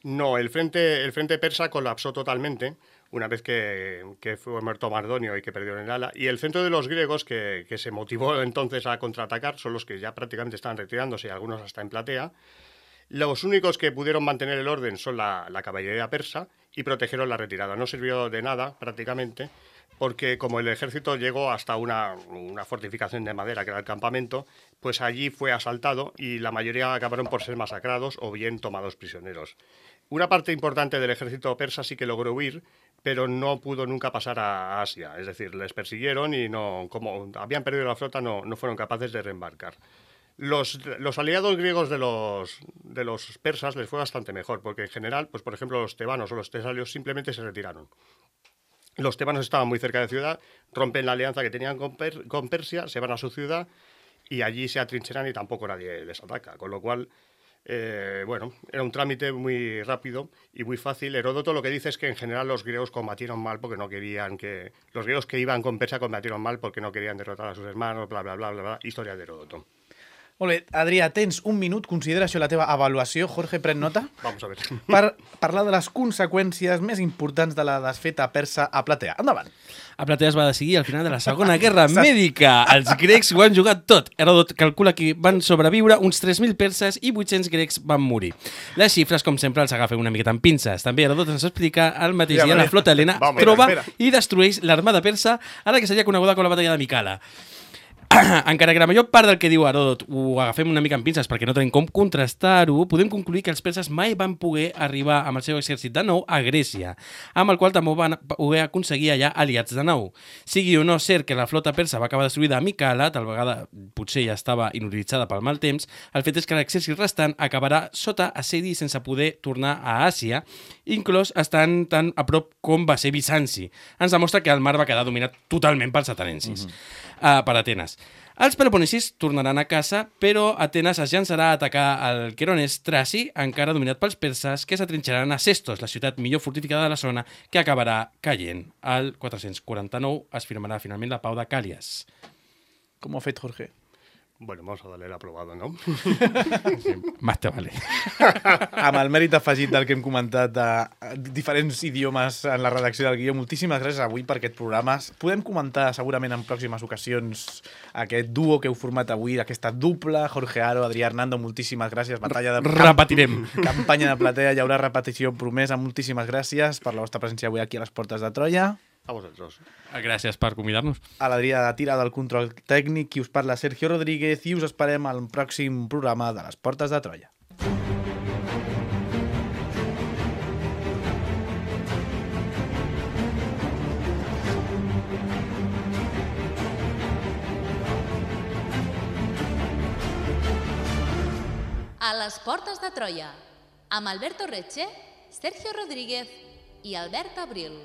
No, el frente, el frente persa colapsó totalmente una vez que, que fue muerto Mardonio y que perdieron el ala. Y el centro de los griegos, que, que se motivó entonces a contraatacar, son los que ya prácticamente estaban retirándose, y algunos hasta en Platea. Los únicos que pudieron mantener el orden son la, la caballería persa y protegieron la retirada. No sirvió de nada prácticamente porque como el ejército llegó hasta una, una fortificación de madera que era el campamento, pues allí fue asaltado y la mayoría acabaron por ser masacrados o bien tomados prisioneros. Una parte importante del ejército persa sí que logró huir, pero no pudo nunca pasar a Asia. Es decir, les persiguieron y no, como habían perdido la flota, no, no fueron capaces de reembarcar. Los, los aliados griegos de los, de los persas les fue bastante mejor, porque en general, pues por ejemplo, los tebanos o los tesalios simplemente se retiraron. Los tebanos estaban muy cerca de ciudad, rompen la alianza que tenían con, per, con Persia, se van a su ciudad y allí se atrincheran y tampoco nadie les ataca, con lo cual, eh, bueno, era un trámite muy rápido y muy fácil. Heródoto lo que dice es que en general los griegos combatieron mal porque no querían que... Los griegos que iban con Persia combatieron mal porque no querían derrotar a sus hermanos, bla, bla, bla, bla, bla. Historia de Heródoto. Molt bé, Adrià, tens un minut, considera això la teva avaluació. Jorge, pren nota. Vamos a ver. Per parlar de les conseqüències més importants de la desfeta persa a Platea. Endavant. A Platea es va decidir al final de la Segona Guerra Mèdica. Els grecs ho han jugat tot. Heròdot calcula que van sobreviure uns tres mil perses i vuit-cents grecs van morir. Les xifres, com sempre, els agafem una miqueta amb pinces. També Heròdot ens explica el mateix dia la flota helena troba i destrueix l'armada persa a la que seria coneguda com la batalla de Micala. Encara que la major part del que diu Heròdot ho agafem una mica amb pinces perquè no tenim com contrastar-ho, podem concluir que els perses mai van poder arribar amb el seu exèrcit de nou a Grècia, amb el qual també van poder aconseguir allà aliats de nou. Sigui o no cert que la flota persa va acabar destruïda a Micala, tal vegada potser ja estava inutilitzada pel mal temps, el fet és que l'exèrcit restant acabarà sota assedi sense poder tornar a Àsia, inclòs estant tan a prop com va ser Bizanci. Ens demostra que el mar va quedar dominat totalment pels atenensis. Mm-hmm. Uh, per Atenes. Els peloponesis tornaran a casa, però Atenes es llançarà a atacar el Queronès Traci, encara dominat pels perses, que s'atrinxaran a Sestos, la ciutat millor fortificada de la zona, que acabarà caient. Al quatre-cents quaranta-nou es firmarà finalment la pau de Càlies. Com ho ha fet, Jorge? Bueno, vamos a darle el aprobado, ¿no? Sí, más te vale. Amb el mèrit afegit del que hem comentat de diferents idiomes en la redacció del guió, moltíssimes gràcies avui per aquest programa. Podem comentar segurament en pròximes ocasions aquest duo que heu format avui, aquesta dupla, Jorge Haro, Adrià Hernando, moltíssimes gràcies. Batalla de... Repetirem. Campanya de Platea, hi haurà repetició promesa. Moltíssimes gràcies per la vostra presència avui aquí a les Portes de Troia. A vosaltres. Gràcies per convidar-nos. A l'Adrià de Tira del control tècnic, qui us parla Sergio Rodríguez, i us esperem al pròxim programa de les Portes de Troia. A les Portes de Troia, amb Alberto Reche, Sergio Rodríguez i Albert Abril.